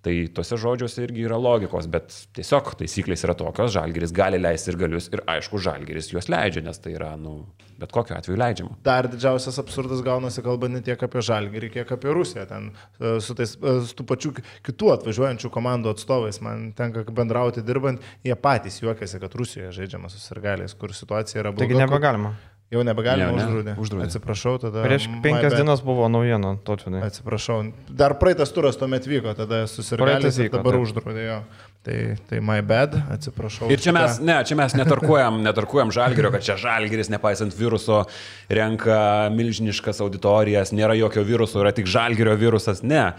Tai tuose žodžiuose irgi yra logikos, bet tiesiog taisyklės yra tokios, Žalgiris gali leisti ir galius ir aišku, Žalgiris juos leidžia, nes tai yra, nu, bet kokiu atveju leidžiama. Dar didžiausias absurdas gaunasi kalbant ne tiek apie Žalgirį, kiek apie Rusiją. Ten su tais su tų pačių kitų atvažiuojančių komandų atstovais man tenka bendrauti dirbant, jie patys juokiasi, kad Rusijoje žaidžiama su sirgaliais, kur situacija yra bloga. Taigi nebegalima. Jau nebegalima, ne, uždraudė. uždraudė. Atsiprašau, tada... Prieš penkias dienas buvo naujiena, Tautvidai. Atsiprašau. Dar praeitas turas tuomet vyko, tada susirgaliais ir dabar uždraudė jo. Tai, tai my bad, atsiprašau. Ir čia mes, ne, čia mes netarkuojam, netarkuojam Žalgirio, kad čia Žalgiris, nepaisant viruso, renka milžiniškas auditorijas, nėra jokio viruso, yra tik Žalgirio virusas. Ne.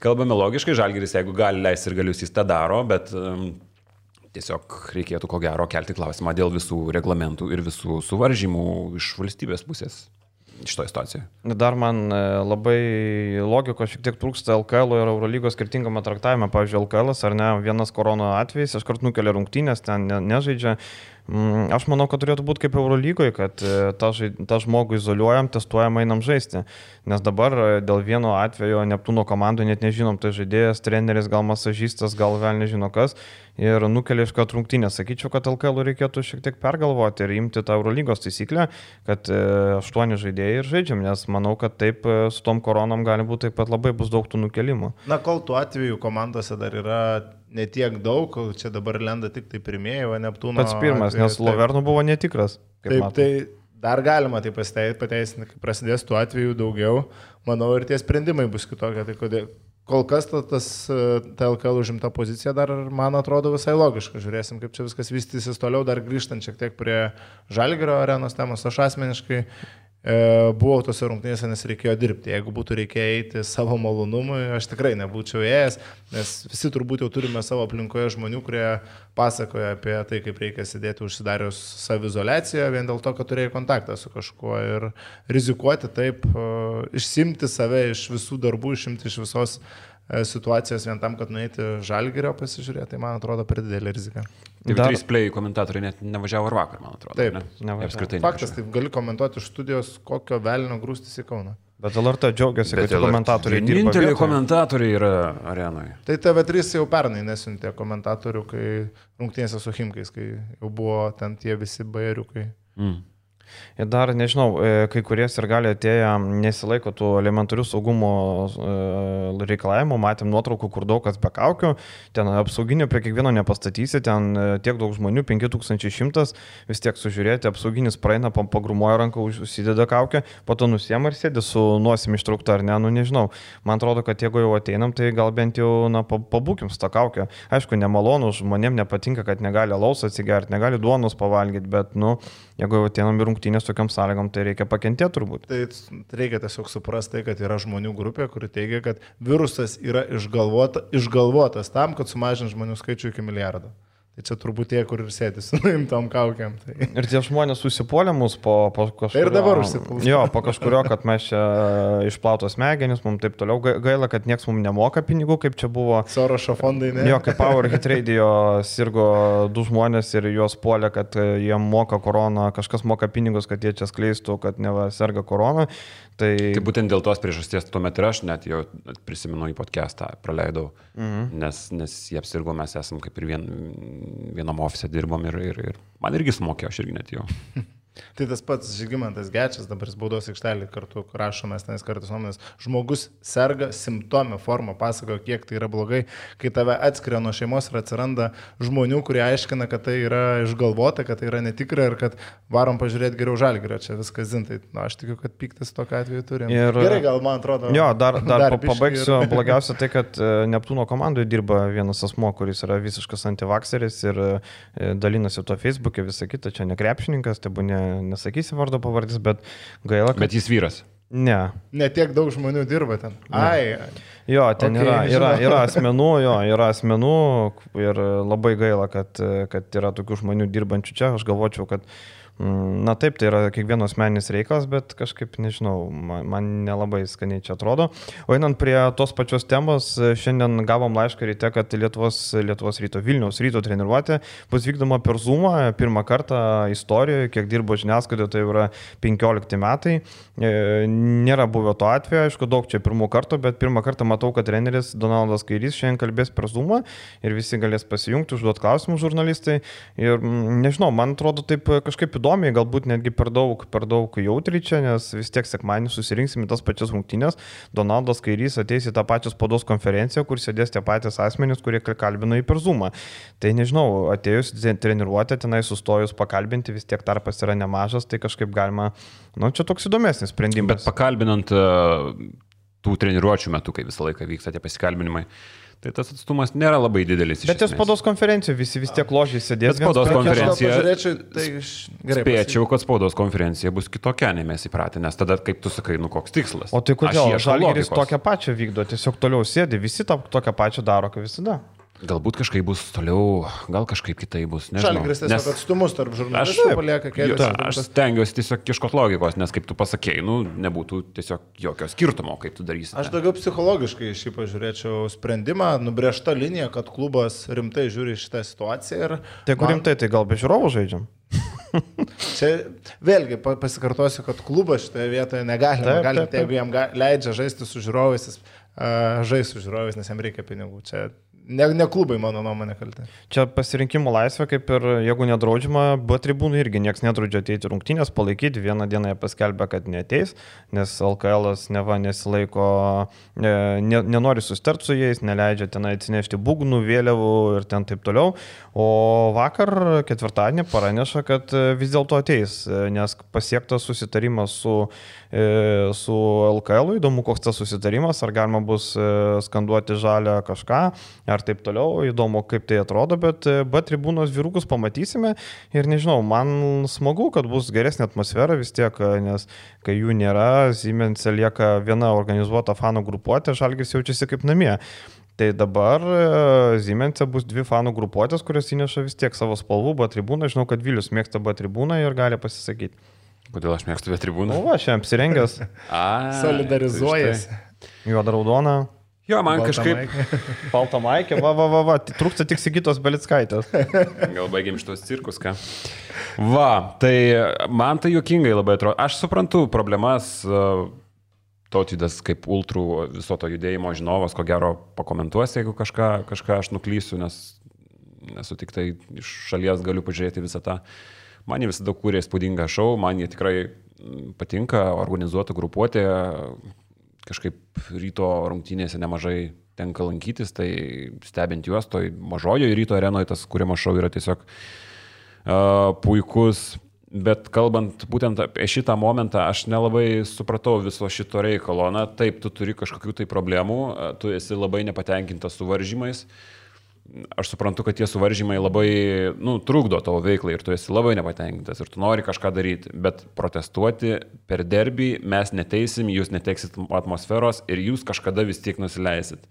Kalbame logiškai, Žalgiris, jeigu gali leisti ir galius, jis tą daro, bet... Um, Tiesiog reikėtų ko gero kelti klausimą dėl visų reglamentų ir visų suvaržymų iš valstybės pusės. šitoje situacijoje. Dar man labai logikos šiek tiek trūksta L K L ir Eurolygos skirtingame traktavime. Pavyzdžiui, L K L, ar ne, vienas korona atvejis, aš kart nukelia rungtynės, ten ne, nežaidžia. Aš manau, kad turėtų būti kaip Eurolygoje, kad tą, tą žmogų izoliuojam, testuojam, einam žaisti. Nes dabar dėl vieno atvejo Neptūno komandų net nežinom, tai žaidėjas, treneris, gal masažistas, gal vėl nežino kas. Ir nukelia iš kad rungtynės. Sakyčiau, kad L K L reikėtų šiek tiek pergalvoti ir imti tą Eurolygos taisyklę, kad aštuoni žaidėjai ir žaidžiam, nes manau, kad taip su tom koronom gali būti taip pat labai bus daug tų nukelimų. Na, kol tų atvejų komandose dar yra netiek daug, čia dabar lenda tik tai pirmieji, o Neptūno... Pats pirmas, atveju, nes Lovernų buvo netikras. Taip, matom. Tai dar galima tai pateisinti, kai prasidės tų atvejų daugiau, manau, ir tie sprendimai bus kitokie. Tai kodėl... Kol kas tas ta L K L užimta pozicija dar, man atrodo, visai logiška. Žiūrėsim, kaip čia viskas vystysis toliau, dar grįžtant šiek tiek prie Žalgirio arenos temos. Aš asmeniškai e, buvau tose rungtynėse, nes reikėjo dirbti. Jeigu būtų reikėję eiti savo malonumui, aš tikrai nebūčiau ėjęs, nes visi turbūt jau turime savo aplinkoje žmonių, kurie pasakoja apie tai, kaip reikia sėdėti užsidarius savizoliaciją, vien dėl to, kad turėjai kontaktą su kažkuo ir rizikuoti taip, išsimti save iš visų darbų, išimti iš visos situacijos vien tam, kad nueiti Žalgirio pasižiūrėti, tai man atrodo per didelį riziką. T V trys Play komentatoriai net nevažiavo ir vakar, man atrodo. Taip, ne? Apskritai. Faktas, taip gali komentuoti iš studijos, kokio velnio grūstis į Kauną. Bet L R T džiaugiasi, kad komentatoriai dirba. Vieninteliai komentatoriai yra arenoje. Tai T V trys jau pernai nesiuntė komentatorių, kai rungtynėse su Chimkais, kai jau buvo ten tie visi bajeriukai. Mm. Ir dar, nežinau, kai kurie ir gali atėję nesilaiko tų elementarių saugumo reikalavimų, matėm nuotraukų, kur daug kas be kaukių, ten apsauginio prie kiekvieno nepastatysi, ten tiek daug žmonių, penki tūkstančiai šimtas, vis tiek sužiūrėti, apsauginis praeina, pagrumoja ranką, užsideda kaukę, po to nusiema ir sėdi su nosim ištraukta ar ne, nu nežinau. Man atrodo, kad jeigu jau ateinam, tai gal bent jau, na, pabūkim su tą kaukę. Aišku, nemalonu, žmonėm nepatinka, kad negali alaus atsigerti, negali duonos pavalgyti, bet, nu, jeigu jau ateinam ir rungtynės tokiam sąlygom, tai reikia pakentėti turbūt. Tai reikia tiesiog suprasti, kad yra žmonių grupė, kuri teigia, kad virusas yra išgalvota, išgalvotas tam, kad sumažint žmonių skaičių iki milijardo. Tai čia turbūt tie, kur ir sėdi su nuimtom kaukiam. Tai... Ir tie žmonės susipuolė mus po, po kažkurio... Tai ir dabar užsipuolė. Jo, po kažkurio, kad mes čia išplautos smegenis, mums taip toliau gaila, kad nieks mums nemoka pinigų, kaip čia buvo. Sorošo fondai, ne? Jo, kaip Power Hit Radio sirgo du žmonės ir juos puolė, kad jiem moka koroną, kažkas moka pinigus, kad jie čia skleistų, kad neva serga korona. Tai... tai būtent dėl tos priežasties tuomet ir aš net jau prisimenu į podcastą, praleidau, mhm. nes, nes jie apsirgo, mes esam kaip ir vien, vienam ofise dirbom ir, ir, ir man irgi sumokėjo, aš irgi net jau. Tai tas pats Žygimantas Gečas, dabar spaudos aikštelį kartu rašomės tenais kartais nuomonės, žmogus serga simptomė formą, pasakojo, kiek tai yra blogai, kai tave atskiria nuo šeimos ir atsiranda žmonių, kurie aiškina, kad tai yra išgalvota, kad tai yra netikra ir kad varom pažiūrėti geriau Žalgirio, čia viskas zintai. Na, aš tikiu, kad piktis tokiu atveju turim. Ir, Gerai, gal man atrodo. Jo, dar, dar, dar pabaigsiu. Ir... Blogiausia tai, kad Neptūno komandoje dirba vienas asmo, kuris yra visiškas antivakseris ir dalinasi to Facebook'e, visą kitą, čia ne krepšininkas, tai buvo ne nesakysi vardo pavardys, bet gaila, kad... Bet jis vyras. Ne. Ne tiek daug žmonių dirba ten. Ai. Jo, ten okay, yra, yra, yra asmenų, jo, yra asmenų ir labai gaila, kad, kad yra tokių žmonių dirbančių čia. Aš galvočiau, kad na taip, tai yra kiekvieno asmeninis reikalas, bet kažkaip, nežinau, man, man nelabai skaniai čia atrodo. O einant prie tos pačios temos, šiandien gavom laišką ryte, kad Lietuvos, Lietuvos ryto, Vilniaus ryto treniruotė bus vykdoma per Zoomą, pirmą kartą istorijoje, kiek dirbo žiniasklaidoje, tai yra penkiolikti metai. Nėra buvę to atveju, aišku, daug čia pirmų kartų, bet pirmą kartą matau, kad treneris Donaldas Kairys šiandien kalbės per Zoomą ir visi galės pasijungti, užduoti klausimus žurnalistai. Ir nežinau, man atrodo taip kažkaip įdomu. Įdomiai, galbūt netgi per daug, per daug jautriai čia, nes vis tiek sekmadienį susirinksim į tas pačias rungtynės. Donaldas Kairys ateis į tą pačią spaudos konferenciją, kur sėdės tie patys asmenys, kurie kalbino į per Zoomą. Tai nežinau, atėjus treniruotę, tenai sustojus pakalbinti, vis tiek tarpas yra nemažas, tai kažkaip galima, nu čia toks įdomesnis sprendimas. Bet pakalbinant uh, tų treniruočių metu, kai visą laiką vyksta tie pasikalbinimai, tai tas atstumas nėra labai didelis. Bet ir spaudos konferencija visi vis tiek ložiai sėdės. Bet spaudos konferencija, tai gerai, spėčiau, kad spaudos konferencija bus kitokia, nei mes įpratę, nes tada, kaip tu sakai, nu koks tikslas. O tai kodėl Žalgiris tokią pačią vykdo, tiesiog toliau sėdi, visi tą tokią pačią daro, kaip visada. Galbūt kažkaip bus toliau, gal kažkaip kitai bus. Žalgiris tiesiog nes... atstumus tarp žurnalistų palieka kelias. Aš stengiuosi tiesiog ieškoti logikos, nes kaip tu pasakėjai, nu, nebūtų tiesiog jokio skirtumo, kaip tu darysi. Aš daugiau psichologiškai šį pažiūrėčiau sprendimą, nubrėžta linija, kad klubas rimtai žiūri šitą situaciją. Ir tai kur man... rimtai, tai gal be žiūrovų žaidžiam? Čia vėlgi pasikartosiu, kad klubas šitoje vietoje negali, taip, gali, taip, taip. Jeigu jam leidžia žaisti su žiūrovais, jis uh, žais su žiūrovais, nes jam reikia pinigų. Čia Ne, ne klubai, mano nuomonė, kaltė. Čia pasirinkimo laisvė, kaip ir jeigu nedraudžiama, B tribūnų irgi niekas nedraudžia ateiti rungtynės, palaikyti. Vieną dieną jie paskelbė, kad neateis, nes L K L neva nesilaiko, ne, ne, nenori susitart su jais, neleidžia ten atsinešti būgnų, vėliavų ir ten taip toliau. O vakar ketvirtadienį praneša, kad vis dėlto ateis, nes pasiektas susitarimas su, su L K L. Įdomu, koks tas susitarimas, ar galima bus skanduoti žalią kažką, ar taip toliau, įdomu, kaip tai atrodo, bet B tribūnos vyrukus pamatysime ir nežinau, man smagu, kad bus geresnė atmosfera vis tiek, nes kai jų nėra, Siemense lieka viena organizuota fanų grupuotė, Žalgiris jaučiasi kaip namie. Tai dabar Siemense bus dvi fanų grupuotės, kurios įneša vis tiek savo spalvų B tribūną. Žinau, kad Vilius mėgsta B tribūną ir gali pasisakyti. Kodėl aš mėgstu B tribūną? O, aš šiandien apsirengęs. Solidarizuojasi. Juoda raudona. Jo, man Balta kažkaip... maikė. Balta maikė, va, va, va, va, trūksta tik Sigitos Belickaitės. Gal baigėm šitos cirkus, ką? Va, tai man tai juokingai labai atrodo. Aš suprantu problemas, Tautvydas kaip ultrų viso to judėjimo žinovas, ko gero pakomentuos, jeigu kažką, kažką aš nuklysiu, nes nesu tik tai iš šalies galiu pažiūrėti visą tą. Man jie visada kūrė įspūdingą šou, man jie tikrai patinka, organizuota grupuotė. Kažkaip ryto rungtynėse nemažai tenka lankytis, tai stebint juos, toj mažojoje ryto arenoje tas kūrimas šou yra tiesiog uh, puikus. Bet kalbant būtent apie šitą momentą, aš nelabai supratau viso šito reikalo. Na taip, tu turi kažkokių tai problemų, tu esi labai nepatenkintas suvaržymais. Aš suprantu, kad tie suvaržymai labai nu, trukdo tavo veiklai ir tu esi labai nepatenkintas ir tu nori kažką daryti, bet protestuoti per derbį mes neteisim, jūs neteksit atmosferos ir jūs kažkada vis tiek nusileisit.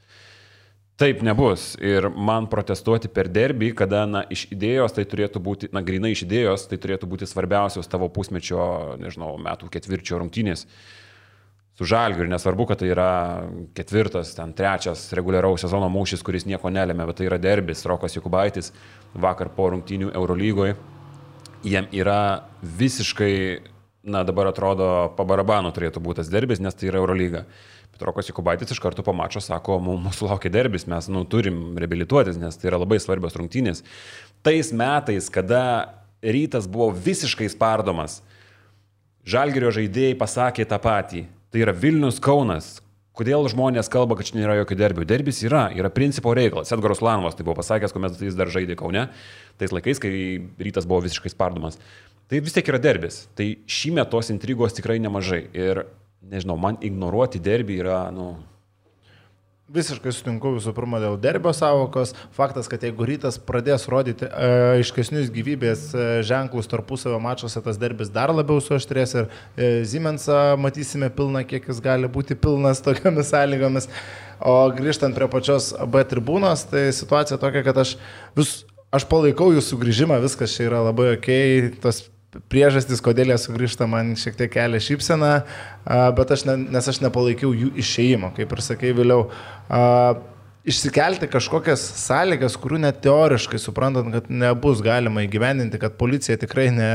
Taip nebus ir man protestuoti per derbį, kada na, iš idėjos tai turėtų būti, na grinai iš idėjos tai turėtų būti svarbiausios tavo pusmečio, nežinau, metų ketvirčio rungtynės. Su Žalgiriu, nesvarbu, kad tai yra ketvirtas, ten trečias reguliaraus sezono mūšis, kuris nieko nelėmė, bet tai yra derbis, Rokas Jokubaitis vakar po rungtynių Eurolygoje. Jiem yra visiškai, na dabar atrodo, po barabanu turėtų būti tas derbis, nes tai yra Eurolyga. Bet Rokas Jokubaitis iš karto po mačo sako, mūsų laukia derbis, mes nu, turim reabilituotis, nes tai yra labai svarbios rungtynės. Tais metais, kada Rytas buvo visiškai spardomas, Žalgirio žaidėjai pasakė tą patį. Tai yra Vilnius Kaunas. Kodėl žmonės kalba, kad čia nėra jokio derbių? Derbis yra, yra principo reikalas. Edgaras Ulanovas tai buvo pasakęs, kuomet jis dar žaidė Kaune, tais laikais, kai Rytas buvo visiškai spardomas. Tai vis tiek yra derbis. Tai šįmet tos intrigos tikrai nemažai. Ir, nežinau, man ignoruoti derbį yra, nu... Visiškai sutinku visų pirma dėl derbio savokos. Faktas, kad jeigu Rytas pradės rodyti e, aiškesnius gyvybės e, ženklus tarpusavio mačuose, tas derbis dar labiau suaštrės ir e, Siemensą matysime pilną, kiek jis gali būti pilnas tokiamis sąlygomis. O grįžtant prie pačios B tribūnos, tai situacija tokia, kad aš, vis, aš palaikau jų sugrįžimą, viskas čia yra labai okei, tos priežastys, kodėl jie sugrįžta, man šiek tiek kelia šypseną, bet aš ne, nes aš nepalaikiau jų išėjimo, kaip ir sakei vėliau. Išsikelti kažkokias sąlygas, kurių net teoriškai suprantant, kad nebus galima įgyvendinti, kad policija tikrai ne,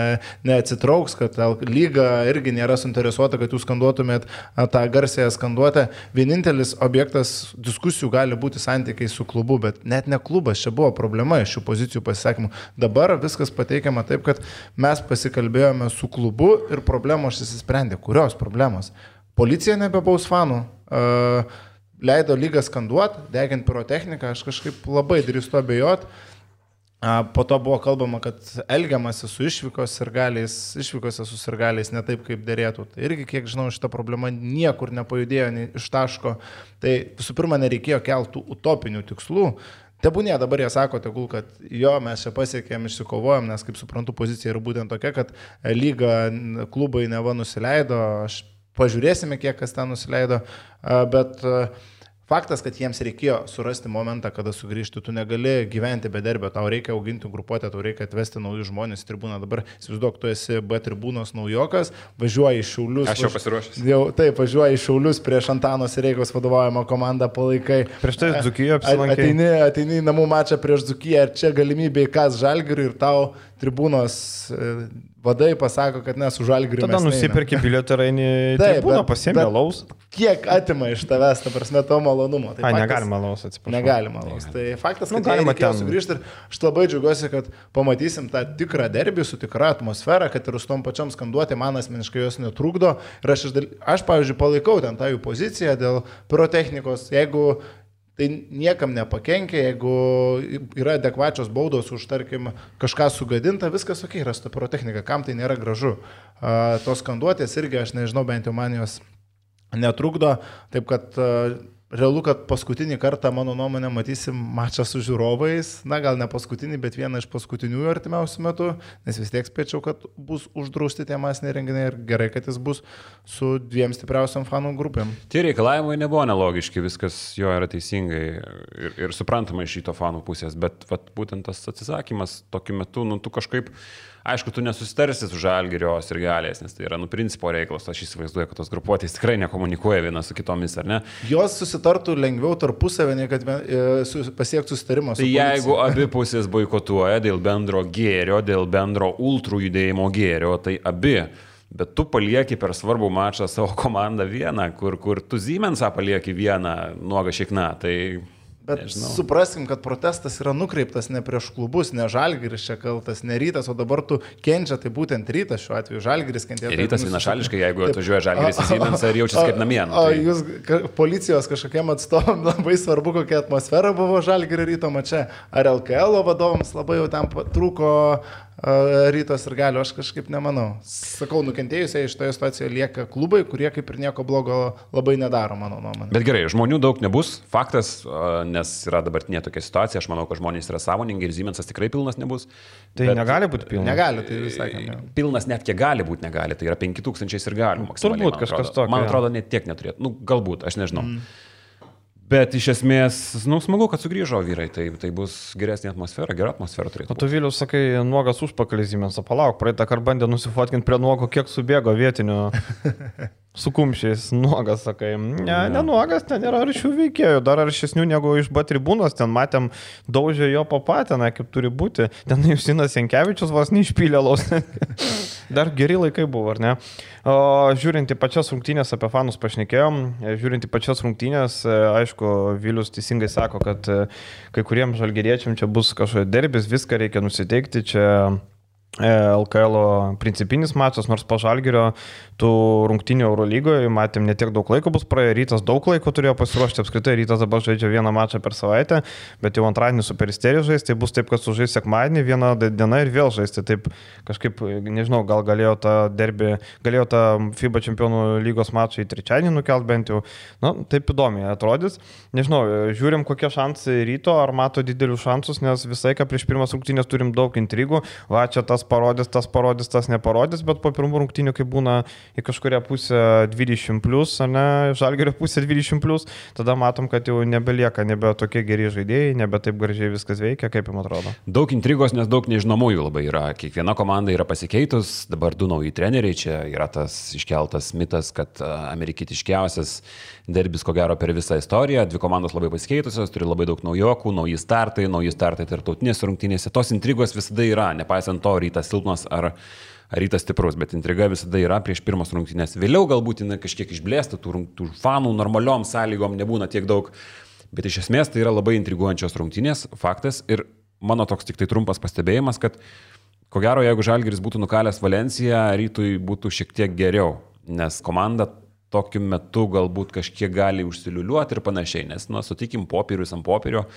neatsitrauks, kad lyga irgi nėra suinteresuota, kad jūs skanduotumėt tą garsėją skanduotę. Vienintelis objektas diskusijų gali būti santykiai su klubu, bet net ne klubas, čia buvo problema iš šių pozicijų pasisakymų. Dabar viskas pateikiama taip, kad mes pasikalbėjome su klubu ir problemos išsisprendė. Kurios problemos? Policija nebebaus fanų. Uh, leido lygą skanduoti, deginti pirotechniką, aš kažkaip labai drįstu abejoti. Po to buvo kalbama, kad elgiamasi su išvykos sirgaliais, išvykose su sirgaliais ne taip, kaip dėrėtų. Tai irgi, kiek žinau, šita problema niekur nepajudėjo iš taško. Tai visų pirma, nereikėjo keltų utopinių tikslų. Tebūnė, dabar jie sako, tegul, kad jo, mes čia pasiekėm, išsikovojom, nes, kaip suprantu, pozicija yra būtent tokia, kad lyga klubai neva nusileido, aš pažiūrėsime, kiek kas ten nusileido, bet Faktas, kad jiems reikėjo surasti momentą, kada sugrįžti, tu negali gyventi be derbio, tau reikia auginti grupuotę, tau reikia atvesti naujus žmonės į tribūną. Dabar, įsivaizduok, tu esi B tribūnos naujokas, važiuoji į Šiaulius. Aš jau pasiruošęs. Jau, taip, važiuoji į Šiaulius prieš Antano Sireikos vadovaujamą komandą palaikai. Prieš tai Dzūkiją apsilankė. Ateini, ateini į namų mačą prieš Dzūkiją ir čia galimybė į kas Žalgiriui ir tau tribūnos vadai pasako, kad ne, su Žalgiriu. Tada nusipirki bilietą ir eini į tribūną, pasiemi alaus. Kiek atima iš tavęs, ta prasme, to malonumo. Tai A, faktas, negalima alaus, atsiprašau. Negalima alaus. Tai faktas, kad nu, galima reikėjo ten sugrįžti ir aš labai džiaugiuosi, kad pamatysim tą tikrą derbį su tikra atmosfera, kad ir su tom pačiom skanduoti man asmeniškai jos netrukdo. Ir aš, aš pavyzdžiui, palaikau ten tą jų poziciją dėl pirotechnikos. Jeigu tai niekam nepakenkia, jeigu yra adekvačios baudos už, tarkim, kažką sugadinta, viskas ok, yra su ta pirotechnika, kam tai nėra gražu. Uh, tos skanduotės irgi, aš nežinau, bent jau man jos netrukdo, taip kad uh, realu, kad paskutinį kartą, mano nuomonė, matysim mačą su žiūrovais, na gal ne paskutinį, bet vieną iš paskutiniųjų artimiausių metų, nes vis tiek spėčiau, kad bus uždrausti tie masiniai renginiai ir gerai, kad jis bus su dviem stipriausiam fanų grupėm. Tie reikalavimai nebuvo nelogiški, viskas jo yra teisingai ir, ir suprantama iš šito fanų pusės, bet vat, būtent tas atsisakymas tokiu metu, nu tu kažkaip, aišku, tu nesusitarsi su Žalgirio sirgaliais, nes tai yra, nu, principo reikalas, aš įsivaizduoju, kad tos grupuotės tikrai nekomunikuoja viena su kitomis, ar ne? Jos susitartų lengviau tarpusavį, nei kad pasiektų susitarimą su tai policija. Jeigu abi pusės boikotuoja dėl bendro gėrio, dėl bendro ultrų judėjimo gėrio, tai abi. Bet tu palieki per svarbų mačą savo komandą vieną, kur, kur tu Siemensą palieki vieną nuogą šikną, tai... Bet nežinau. Supraskim, kad protestas yra nukreiptas ne prieš klubus, ne Žalgiris čia kaltas, ne Rytas, o dabar tu kenčia, tai būtent Rytas šiuo atveju, Žalgiris kentėtų. Rytas vienašališkai, jeigu atvažiuoja Žalgiris į Siemensą ir jaučiasi kaip namie. O tai... jūs policijos kažkokiem atstovom labai svarbu, kokia atmosfera buvo Žalgirio Ryto mače. Ar L K L vadovams labai jau ten trūko Rytos ir Galio, aš kažkaip nemanau. Sakau, nukentėjusiai iš toje situacijoje lieka klubai, kurie kaip ir nieko blogo labai nedaro, mano nuomonė. Bet gerai, žmonių daug nebus, faktas, nes yra dabartinė tokia situacija, aš manau, kad žmonės yra sąmoningi ir Siemensas tikrai pilnas nebus. Tai bet negali būti pilnas. Negali, tai visai ne. Pilnas net kiek gali būti negali, tai yra penki tūkstančiai ir galių maksimaliai. Turbūt kažkas tokio. Man atrodo, net tiek neturėtų. Nu, galbūt, aš nežinau. Mm. Bet iš esmės, nu, smagu, kad sugrįžo vyrai, tai, tai bus geresnė atmosfera, gera atmosfera turėtų. O tu Vilius sakai, nuogas užpakalis Siemensą, palauk, praeitą kartą bandė nusifotkinti prie nuogo, kiek subėgo vietinių su kumščiais, nuogas, sakai. Ne, ne nuogas, ten yra aršių veikėjų, dar aršesnių negu iš B tribūnos, ten matėm, daužė jo papateną, kaip turi būti. Ten Justinas Jankevičius vos neišpylė laus. Dar geri laikai buvo, ar ne? O, žiūrint į pačias rungtynės, apie fanus pašnekėjom, žiūrint į pačias rungtynės, aišku, Vilius teisingai sako, kad kai kuriems žalgiriečiam čia bus kažkoks derbis, viską reikia nusiteikti, čia L K L principinis mačas, nors po Žalgirio tų rungtynių Eurolygoje matėm ne tiek daug laiko bus praėję, Rytas daug laiko turėjo pasiruošti, apskritai Rytas dabar žaidžia vieną mačą per savaitę, bet jau antradienį su Peristeriju žaisti, tai bus taip, kad sužais sekmadienį vieną dieną ir vėl žaisti, taip kažkaip, nežinau, gal galėjo tą derbį, galėjo tą FIBA čempionų lygos mačą į trečiadienį nukelt bent jau, na, taip įdomiai atrodys, nežinau, žiūrim kokie šansai Ryto, ar mato didelius šansus, nes visai, ką prieš pirmas rungtynės turim daug intrigų, va čia tas parodys, tas parodys, tas neparodys, bet po pirmų rungtynių, kai būna į kažkurią pusę dvidešimt plus, ar ne, Žalgirio pusę dvidešimt plus, tada matom, kad jau nebelieka, nebe tokie geri žaidėjai, nebe taip gražiai viskas veikia, kaip jums atrodo. Daug intrigos, nes daug nežinomųjų labai yra. Kiekviena komanda yra pasikeitus, dabar du nauji treneriai, čia yra tas iškeltas mitas, kad amerikietiškiausias derbis ko gero per visą istoriją, dvi komandos labai pasikeitusios, turi labai daug naujokų, nauji startai, nauji startai tarptautinėse rungtynėse. Tos intrigos visada yra, nepaisant to, Rytas silpnas ar Rytas stiprus, bet intriga visada yra prieš pirmas rungtynės. Vėliau galbūt jinai kažkiek išblėsta, tų, tų fanų normaliom sąlygom nebūna tiek daug, bet iš esmės tai yra labai intriguojančios rungtynės, faktas. Ir mano toks tik tai trumpas pastebėjimas, kad ko gero, jeigu Žalgiris būtų nukalęs Valenciją, Rytui būtų šiek tiek geriau, nes komanda tokiu metu galbūt kažkiek gali užsiliuliuoti ir panašiai, nes, nu, sutikim, popierius ant popierio,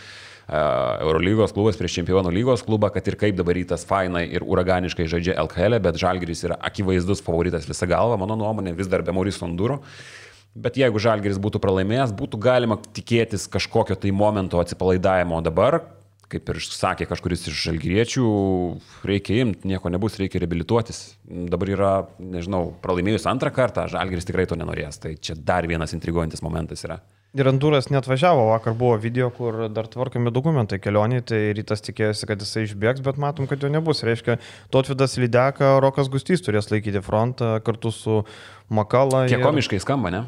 Eurolygos klubas prieš Čempionų lygos klubą, kad ir kaip dabar Rytas fainai ir uraganiškai žaidžia L K L, bet Žalgiris yra akivaizdus favoritas visą galvą, mano nuomonė, vis dar be Mauricio Onduro. Bet jeigu Žalgiris būtų pralaimėjęs, būtų galima tikėtis kažkokio tai momento atsipalaidavimo dabar, kaip ir sakė kažkuris iš žalgiriečių, reikia imti, nieko nebus, reikia reabilituotis. Dabar yra, nežinau, pralaimėjus antrą kartą, Žalgiris tikrai to nenorės, tai čia dar vienas intriguojantis momentas yra. Ir Anduras net važiavo, vakar buvo video, kur dar tvarkami dokumentai kelioniai, tai Rytas tikėjosi, kad jisai išbėgs, bet matom, kad jo nebus. Reiškia, Tautvydas Lydeka, Rokas Gustys turės laikyti frontą kartu su Makala. Kiek ir... komiškai skamba, ne?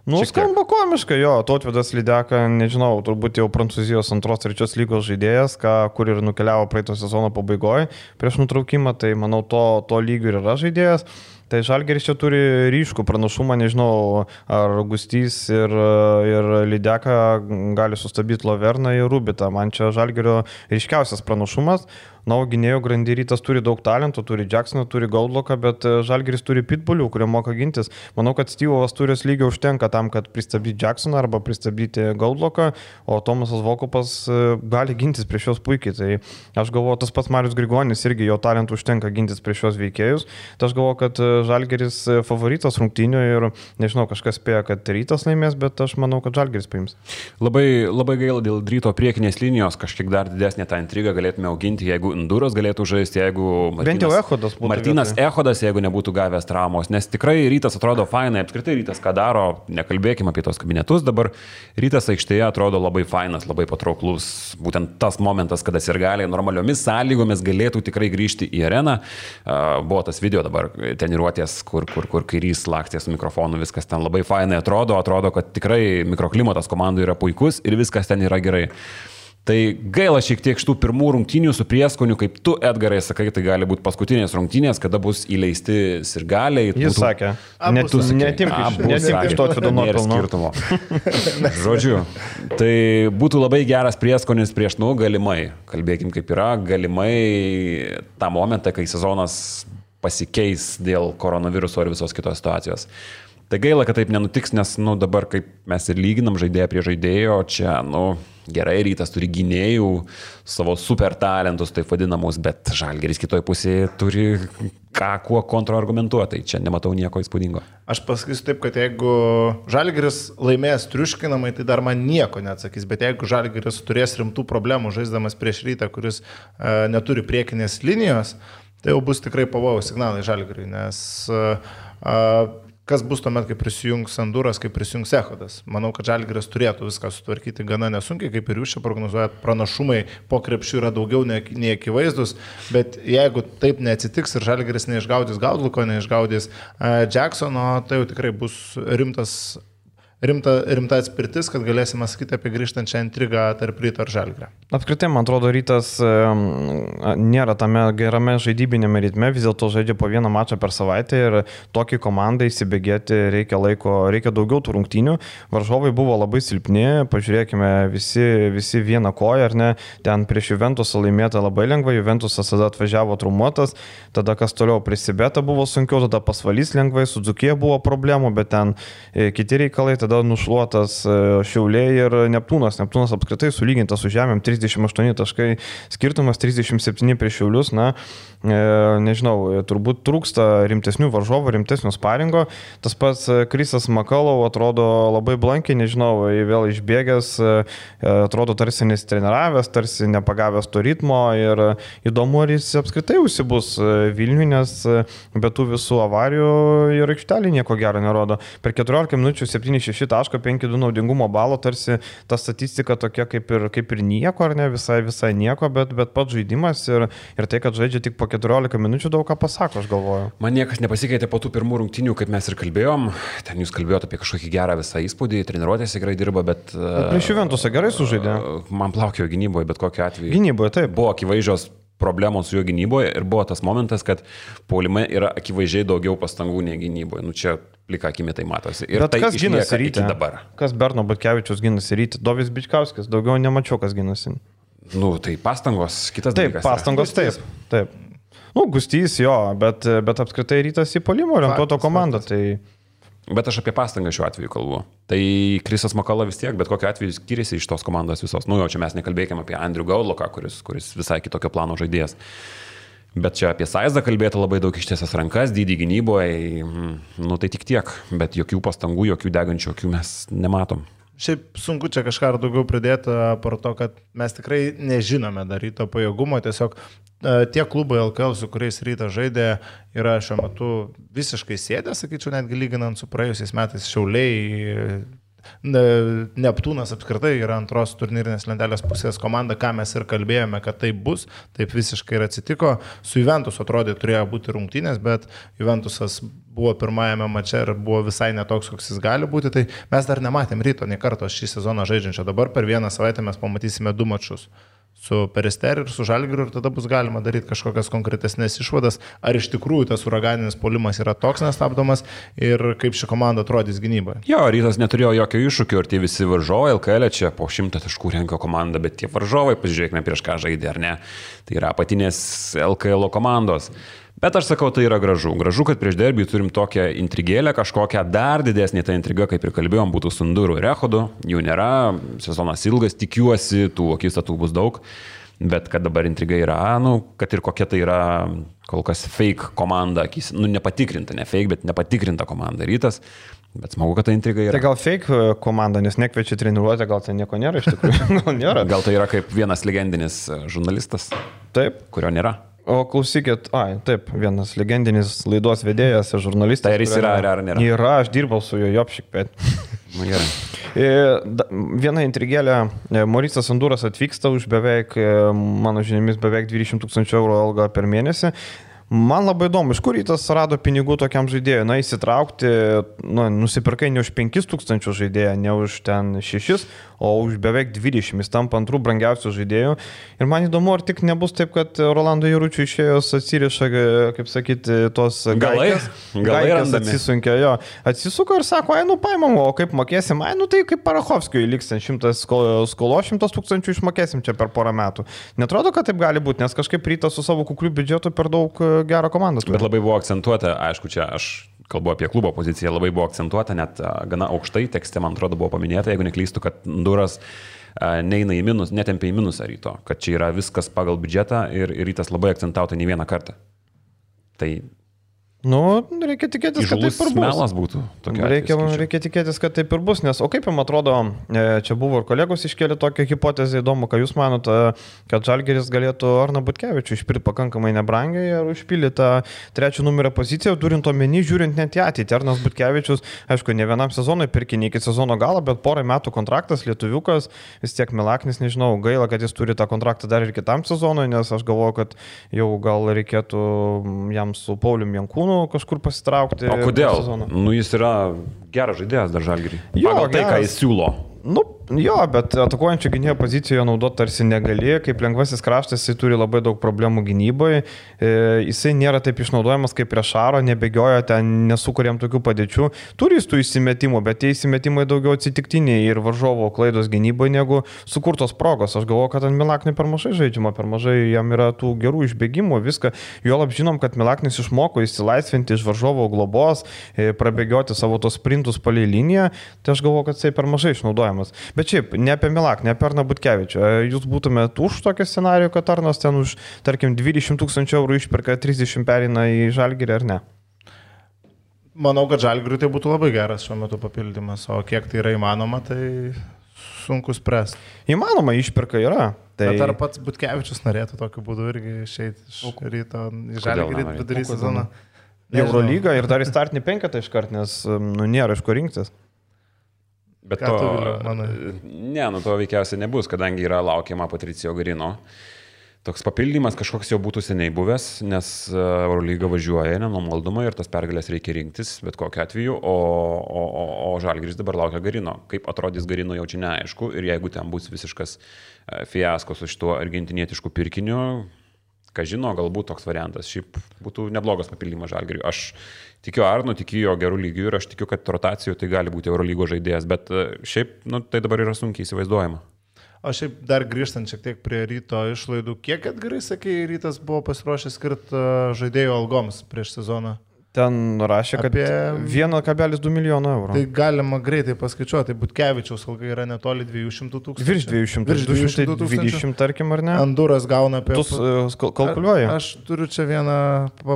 Nu, Šiek skamba komiškai, jo, Tautvydas Lydeka, nežinau, turbūt jau Prancūzijos antros, trečios lygos žaidėjas, ką, kur ir nukeliavo praeito sezono pabaigoje prieš nutraukimą, tai manau, to, to lygio ir yra žaidėjas. Tai Žalgiris čia turi ryškų pranašumą, nežinau, ar Gustys ir, ir Lydeka gali sustabdyti Loverną ir Rubitą. Man čia Žalgirio ryškiausias pranašumas. Na, o gynėjų grandy Rytas turi daug talentų, turi Jacksoną, turi Goldlocką, bet Žalgiris turi pitbulių, kurie moka gintis. Manau, kad Styvovas turijos lygio užtenka tam, kad pristabdyti Jacksoną arba pristabdyti Goldlocką, o Tomasas Vokupas gali gintis prieš juos puikiai. Tai aš galvoju, tas pats Marius Grigonis irgi jo talentų užtenka gintis prieš šios veikėjus. Tai aš galvoju, kad Žalgiris favoritas rungtynių ir nežinau, kažkas spėja, kad Rytas laimės, bet aš manau, kad Žalgiris paims. Labai, labai gaila dėl Ryto priekinės linijos, kažkiek dar didesnė tą intrigą galėtume auginti, jeigu Enduras galėtų žaisti, jeigu Martinas, bent jau Echodas būtų. Martinas vietoj. Echodas, jeigu nebūtų gavęs traumos, nes tikrai Rytas atrodo fainai, apskritai Rytas ką daro, nekalbėkime apie tos kabinetus, dabar Rytas aikštėje atrodo labai fainas, labai patrauklus, būtent tas momentas, kada sirgaliai normaliomis sąlygomis galėtų tikrai grįžti į areną. Buvo tas video dabar treniruotės, kur, kur, kur kairys lakstė su mikrofonu, viskas ten labai fainai atrodo, atrodo, kad tikrai mikroklimatas komandų yra puikus ir viskas ten yra gerai. Tai gaila šiek tiek šitų pirmų rungtynių su prieskoniu, kaip tu, Edgarai, sakai, tai gali būti paskutinės rungtynės, kada bus įleisti sirgaliai. Jis būtų... sakė, net tu sakė, netimk iš to skirtumo. Žodžiu, tai būtų labai geras prieskonis prieš, nu, galimai, kalbėkim kaip yra, galimai tą momentą, kai sezonas pasikeis dėl koronaviruso ir visos kitos situacijos. Tai gaila, kad taip nenutiks, nes, nu, dabar kaip mes ir lyginam žaidėją prie žaidėjo, čia, nu, gerai, Rytas turi gynėjų, savo super talentus, taip vadinamus, bet Žalgiris kitoj pusėje turi ką kuo kontraargumentuoti, tai čia nematau nieko įspūdingo. Aš pasakysiu taip, kad jeigu Žalgiris laimės triuškinamai, tai dar man nieko neatsakys, bet jeigu Žalgiris turės rimtų problemų žaisdamas prieš Rytą, kuris uh, neturi priekinės linijos, tai jau bus tikrai pavojaus signalai Žalgiriui, nes uh, uh, kas bus tuomet, kai prisijungs Anduras, kai prisijungs Echodas. Manau, kad Žalgiris turėtų viską sutvarkyti gana nesunkiai, kaip ir jūs čia prognozuojat, pranašumai po krepšių yra daugiau nei akivaizdus, bet jeigu taip neatsitiks ir Žalgiris neišgaudys Goldlocko, neišgaudys uh, Jacksono, tai jau tikrai bus rimtas Rimta, rimta atspirtis, kad galėsime sakyti apie grįžtančią intrigą tarp Ryto ir Žalgirio. Apskritai, man atrodo, Rytas e, nėra tame gerame žaidybinėme ritme, vis dėlto žaidžia po vieną mačą per savaitę ir tokį komandą įsibėgėti reikia laiko, reikia daugiau tų rungtynių. Varžovai buvo labai silpni, pažiūrėkime, visi, visi vieną koją, ar ne, ten prieš Juventusą laimėta labai lengva, Juventusas tada atvažiavo traumuotas, tada kas toliau prisibėta buvo sunkiau, tada pasvalys lengvai, su Dzūkija buvo problemų, bet ten e, kiti reikalai, tada nušluotas Šiauliai ir Neptūnas. Neptūnas apskritai sulygintas su žemėm, trisdešimt aštuoni taškai skirtumas, trisdešimt septyni prieš Šiaulius. Na, e, nežinau, turbūt trūksta rimtesnių varžovų, rimtesnio sparingo. Tas pats Krisas Makalau atrodo labai blankiai, nežinau, vėl išbėgęs, atrodo tarsi nesitreniravęs, tarsi nepagavęs to ritmo ir įdomu, ar jis apskritai užsibus Vilniui, nes be tų visų avarijų ir aikštelį nieko gero nerodo. Per keturiolika minučių septyni šeši taško penki du naudingumo balo, tarsi ta statistika tokia kaip ir, kaip ir nieko, ar ne, visai, visai nieko, bet, bet pats žaidimas ir, ir tai, kad žaidžia tik po keturiolika minučių, daug ką pasako, aš galvoju. Man niekas nepasikeitė po tų pirmų rungtynių, kaip mes ir kalbėjom, ten jūs kalbėjote apie kažkokį gerą visą įspūdį, treniruotėse gerai dirba, bet... bet prieš Juventusą gerai sužaidė. Man plaukėjo gynyboje, bet kokiu atveju. Gynyboje, taip. Buvo akivaizdžios problemos su jo gynyboje ir buvo tas momentas, kad puolime yra akivaizdžiai daugiau pastangų nei gynyboje. Nu čia plika akimi tai matosi. Ir bet tai kas ginasi Ryte dabar? Kas Berno Butkevičius ginasi Ryte? Dovis Bičkauskis, daugiau nemačiau, kas ginasi. Nu, tai pastangos, kitas taip, dalykas. Taip, pastangos, taip, taip. Nu, Gustys jo, bet, bet apskritai Rytas į puolimo orientuoto komandą, tai... Bet aš apie pastangą šiuo atveju kalbu. Tai Krisas Makala vis tiek, bet kokiu atveju skiriasi iš tos komandos visos. Nu, jau čia mes nekalbėkime apie Andrių Goldlocką, kuris, kuris visai kitokio plano žaidėjas. Bet čia apie Saizdą kalbėti labai daug ištiesas rankas, dydį gynyboje, nu tai tik tiek. Bet jokių pastangų, jokių degančių akių mes nematom. Šiaip sunku čia kažką ar daugiau pridėti par to, kad mes tikrai nežinome dar Ryto pajėgumo, tiesiog tie klubai L K L, su kuriais Rytas žaidė, yra šiuo metu visiškai sėdę, sakyčiau, netgi lyginant su praėjusiais metais Šiauliai, Neptūnas apskritai yra antros turnyrinės lentelės pusės komanda, ką mes ir kalbėjome, kad taip bus, taip visiškai ir atsitiko. Su Juventus atrodė turėjo būti rungtynės, bet Juventusas buvo pirmajame mače ir buvo visai netoks, koks jis gali būti, tai mes dar nematėm Ryto nei karto šį sezoną žaidžiančio. Dabar per vieną savaitę mes pamatysime du mačus su Peristeri ir su Žalgiriu ir tada bus galima daryti kažkokias konkretesnės išvadas, ar iš tikrųjų tas uraganinis puolimas yra toks nestabdomas ir kaip ši komanda atrodys gynyboje. Jo, Rytas neturėjo jokio iššūkio ir tie visi varžovai L K L čia po šimtą taškų renka komanda, bet tie varžovai, pasižiūrėkime prieš ką žaidė ar ne, tai yra apatinės L K L komandos. Bet aš sakau, tai yra gražu. Gražu, kad prieš derbį turim tokią intrigėlę, kažkokią dar didesnį tą intrigą, kaip ir kalbėjom, būtų su Nduru ir Echodu. Jų nėra, sezonas ilgas, tikiuosi, tų akistatų bus daug. Bet kad dabar intriga yra, nu, kad ir kokia tai yra kol kas fake komanda, nu, nepatikrinta, ne fake, bet nepatikrinta komanda Rytas. Bet smagu, kad ta intriga yra. Tai gal fake komanda, nes nekviečia treniruotę, gal ten nieko nėra iš tikrųjų. Gal nėra. Gal tai yra kaip vienas legendinis žurnalistas, taip, kurio nėra. O klausykit, ai, taip, vienas legendinis laidos vedėjas ir žurnalistas. Tai ar jis yra, ar, ar nėra? Yra, aš dirbau su juo Jopšik, bet. Na gerai. Viena intrigėlė, Mauricijus Anduras atvyksta už beveik, mano žiniomis, beveik dvidešimt tūkstančių eurų algą per mėnesį. Man labai įdomu, iš kur Rytas rado pinigų tokiam žaidėjui, na, įsitraukti, nu, nusipirkai ne už penkis tūkstančius žaidėją, ne už ten šešis, o už beveik dvidešimt, jis tampa antrų brangiausių žaidėjų. Ir man įdomu, ar tik nebus taip, kad Rolando Jaručiui išėjus atsiriša, kaip sakyti, tos gaikės, gaikės atsisunkė, jo, atsisuko ir sako, ai, nu, paimam, o kaip mokėsim, ai, nu, tai kaip Parachovskijui liks ten šimtas skolo, šimtas tūkstančių išmokėsim čia per porą metų. Netrodo, kad taip gali būti, nes kažkaip Rytas su savo kukliu biudžetu per daug gerą komandą. Bet labai buvo akcentuota, aišku, čia aš kalbu apie klubo poziciją, labai buvo akcentuota, net gana aukštai tekste, man atrodo, buvo paminėta, jeigu neklystu, kad Duras neina į minus, netempia į minusą Ryto, kad čia yra viskas pagal biudžetą ir, ir Rytas labai akcentavo tai ne vieną kartą. Tai nu, reikia tikėtis, kad taip ir bus. Melas būtų. Reikia, reikia tikėtis, kad taip ir bus, nes, o kaip jums atrodo, čia buvo ir kolegos iškėlė tokią hipotezę, įdomu, ką jūs manote, kad Žalgiris galėtų Arną Butkevičių išpirkti pakankamai nebrangiai ir užpildyti tą trečią numerio poziciją, turint omeny, žiūrint net į ateitį. Arnas Butkevičius, aišku, ne vienam sezonui pirkinė iki sezono galo, bet porą metų kontraktas, lietuviukas, vis tiek Milaknis, nežinau, gaila, kad jis turi tą kontraktą dar ir kitam sezonui, nes aš galvoju, kad jau gal reikėtų jam su Paulium Jankūnu kažkur pasitraukti. O kodėl? Nu, jis yra geras žaidėjas dar Žalgirį. Pagal tai, ką jis siūlo. Nu, jo, bet atakuojančio gynėjo pozicijoje naudoti tarsi negali, kaip lengvasis kraštas, jisai turi labai daug problemų gynyboje, e, jisai nėra taip išnaudojamas kaip prieš Šaro, nebėgioja ten, nesukuriam tokių padėčių, turi jis tų įsimetimų, bet tie įsimetimai daugiau atsitiktiniai ir varžovo klaidos gynyboje negu sukurtos progos. Aš galvoju, kad ant Milaknį per mažai žaidžiama, per mažai jam yra tų gerų išbėgimų, viską. Juolab žinom, kad Milaknis išmoko įsilaisvinti iš varžovo globos, e, prabėgioti savo tos sprintus palei liniją, tai aš galvoju, kad jisai per mažai išnaudoja. Bet šiaip, ne apie Milak, ne apie Arną Butkevičių. Jūs būtumėt už tokį scenarijų, kad Arnas ten už, tarkim, dvidešimt tūkstančių eurų išperka, trisdešimt perina į Žalgirį ar ne? Manau, kad Žalgiriui tai būtų labai geras šiuo metu papildymas, o kiek tai yra įmanoma, tai sunku spręsti. Įmanoma, išperka yra. Tai... Bet ar pats Butkevičius norėtų tokiu būdu irgi išeiti iš Ryto į Žalgirį vidury sezoną? Eurolygą ir dar į startinį penketą iškart, nes nu, nėra iš ko rinktis. Bet to, ne, nu to veikiausiai nebus, kadangi yra laukiama Patricijo Garino. Toks papildymas kažkoks jau būtų seniai buvęs, nes Eurolyga važiuoja nenumaldomai ir tas pergalės reikia rinktis, bet kokiu atveju, o, o, o, o Žalgiris dabar laukia Garino. Kaip atrodys Garino jau čia neaišku ir jeigu ten bus visiškas fiasko su šituo argentinietišku pirkiniu, ką žino, galbūt toks variantas. Šiaip būtų neblogas papildymas Žalgiriui. Aš tikiu Arnu, tikiu jo gerų lygių ir aš tikiu, kad rotacijų tai gali būti Eurolygos žaidėjas, bet šiaip nu, tai dabar yra sunkiai įsivaizduojama. O šiaip dar grįžtant šiek tiek prie Ryto išlaidų, kiek atgarai, sakai, Rytas buvo pasiruošęs skirti žaidėjų algoms prieš sezoną? Ten rašė, kad apie vienas kablelis du milijono eurų. Tai galima greitai paskaičiuoti, Butkevičiaus alga yra netoli dviejų šimtų tūkstančių. Virš dviejų šimtų, virš du šimtai dvidešimt, tarkim, ar ne? Anduras gauna apie... Tu uh, kalkuliuoji? Aš turiu čia vieną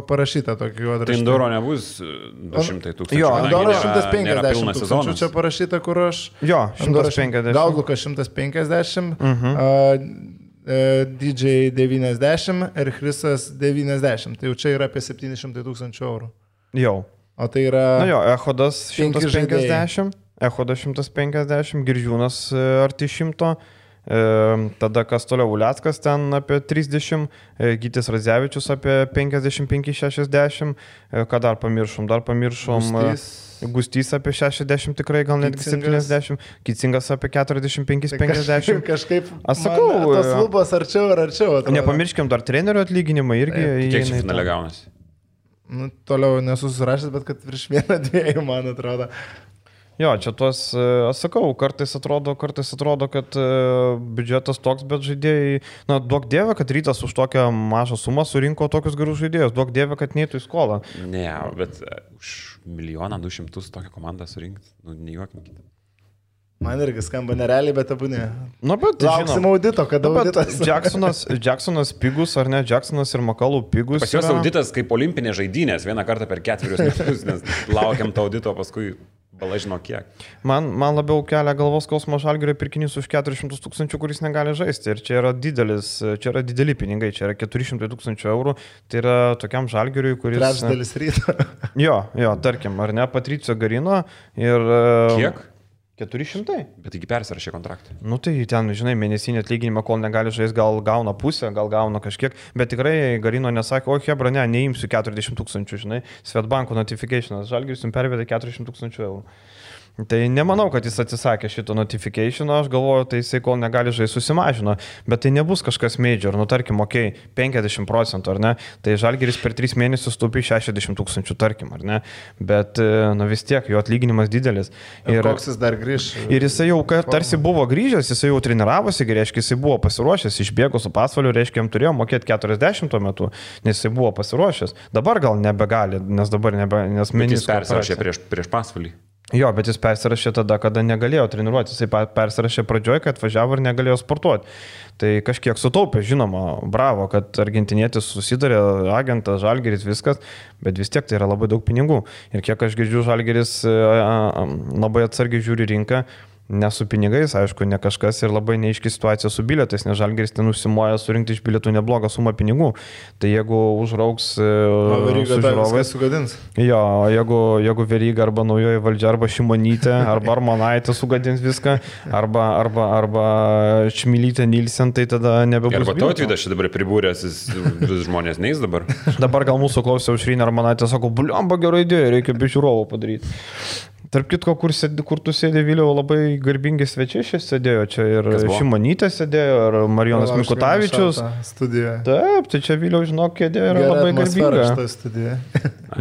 parašytą tokį juodraštį. Tai Anduro nebus du šimtai tūkstančių. Jo, Anduro šimtas penkiasdešimt tūkstančių čia parašyta, kur aš... Jo, šimtas penkiasdešimt. Gaudlukas šimtas penkiasdešimt. Uh-huh. uh, D J devyniasdešimt ir Chrisas devyniasdešimt. Tai jau čia yra apie septyni šimtai tūkstančių eurų. Jau. O tai yra... Na jo, Echodas šimtas penkiasdešimt, Echodas šimtas penkiasdešimt, Girdžiūnas arti šimto. Tada kas toliau, Uleckas ten apie trisdešimt, Gytis Radzevičius apie penkiasdešimt penki šešiasdešimt, ką dar pamiršom, dar pamiršom Gustys, Gustys apie šešiasdešimt tikrai, gal netgi septyniasdešimt, Kicingas apie keturiasdešimt penki penkiasdešimt. Kažkaip, aš sakau, tos lubos arčiau ir arčiau. Atrodo. Nepamirškim dar trenerių atlyginimą irgi. Kiek čia finale gaunasi? Nu, toliau nesusirašęs, bet kad virš vieną dviejų, man atrodo. Jo, čia tuos, aš sakau, kartais atrodo, kartais atrodo, kad biudžetas toks, bet žaidėjai, na, duok dievę, kad Rytas už tokią mažą sumą surinko tokius gerus žaidėjus, duok dievę, kad neįtų į skolą. Ne, bet už milijoną du šimtus tokią komandą surinkti, nu, nejuokinkite. Man irgi skamba nerealiai, bet abu ne. Nu, bet lauksim žinom, audito, kada nu, auditas. Jacksonas, Jacksonas pigus, ar ne, Jacksonas ir Makalų pigus. Pas juos yra... auditas kaip olimpinės žaidynės, vieną kartą per ketverius metus, nes laukiam to audito, paskui bala žino kiek. Man, man labiau kelia galvos skausmo Žalgirio pirkinys už keturis šimtus tūkstančių, kuris negali žaisti. Ir čia yra didelis, čia yra dideli pinigai, čia yra keturi šimtai tūkstančių eurų. Tai yra tokiam Žalgiriui, kuris... Trečdalis Ryto. Jo, jo, tarkim, ar ne, Patricio Garino ir... Kiek? keturi šimtai. Bet taigi persirašė kontraktą. Nu tai ten, žinai, mėnesinį atlyginimą, kol negali žaisti, gal gauna pusę, gal gauna kažkiek, bet tikrai Garino nesakė, o hebra, ne, neimsiu keturiasdešimt tūkstančių, žinai, Svetbanko notificationas, Žalgiris jums pervedė keturiasdešimt tūkstančių eurų. Tai nemanau, kad jis atsisakė šito notificationo, aš galvoju, tai jisai kol negali žaisti susimažino, bet tai nebus kažkas major, nu tarkim, okei, okay, penkiasdešimt procentų, ar ne, tai Žalgiris per tris mėnesius taupė šešiasdešimt tūkstančių, tarkim, ar ne, bet, nu vis tiek, jo atlyginimas didelis. Ir, ir koks jis dar grįž? Ir jisai jau tarsi buvo grįžęs, jisai jau treniravosi, reiškia, jisai buvo pasiruošęs, išbėgo su pasvaliu, reiškia, jam turėjo mokėti keturiasdešimt tuo metu, nes jisai buvo pasiruošęs. Dabar gal nebegali, nes dabar nebe, nes menis persirašė prieš, prieš pasvalį. Jo, bet jis persirašė tada, kada negalėjo treniruoti. Jisai persirašė pradžioje, kad atvažiavo ir negalėjo sportuoti. Tai kažkiek sutaupė, žinoma, bravo, kad argentinietis susidarė, agentas, Žalgiris, viskas, bet vis tiek tai yra labai daug pinigų. Ir kiek aš girdžiu, Žalgiris labai atsargiai žiūri rinką. Ne su pinigais, aišku, ne kažkas ir labai neaiški situacija su bilietais, nes Žalgiris ten užsimoja surinkti iš bilietų neblogą sumą pinigų. Tai jeigu užrauks su žiūrovais, sugadins. Jo, jeigu, jeigu Veryga arba naujoji valdžia, arba Šimonytė, arba Armonaitė sugadins viską, arba, arba, arba Šmilytė Nilsen, tai tada nebebus. Arba Tautvydas čia dabar pribūręs, vis žmonės neis dabar. Dabar gal mūsų klausė Aušrinė Armonaitė, sako, bliamba gerai idėja, reikia be žiūrovų padaryti. Tarp kitko, kur, sėdė, kur tu sėdė Viliau, labai garbingi svečiai šis sėdėjo, čia ir Šimonytė sėdėjo, ir Marijonas Mikutavičius. Taip, tai čia Viliau, žinok, kėdė yra Gerai labai garbinga.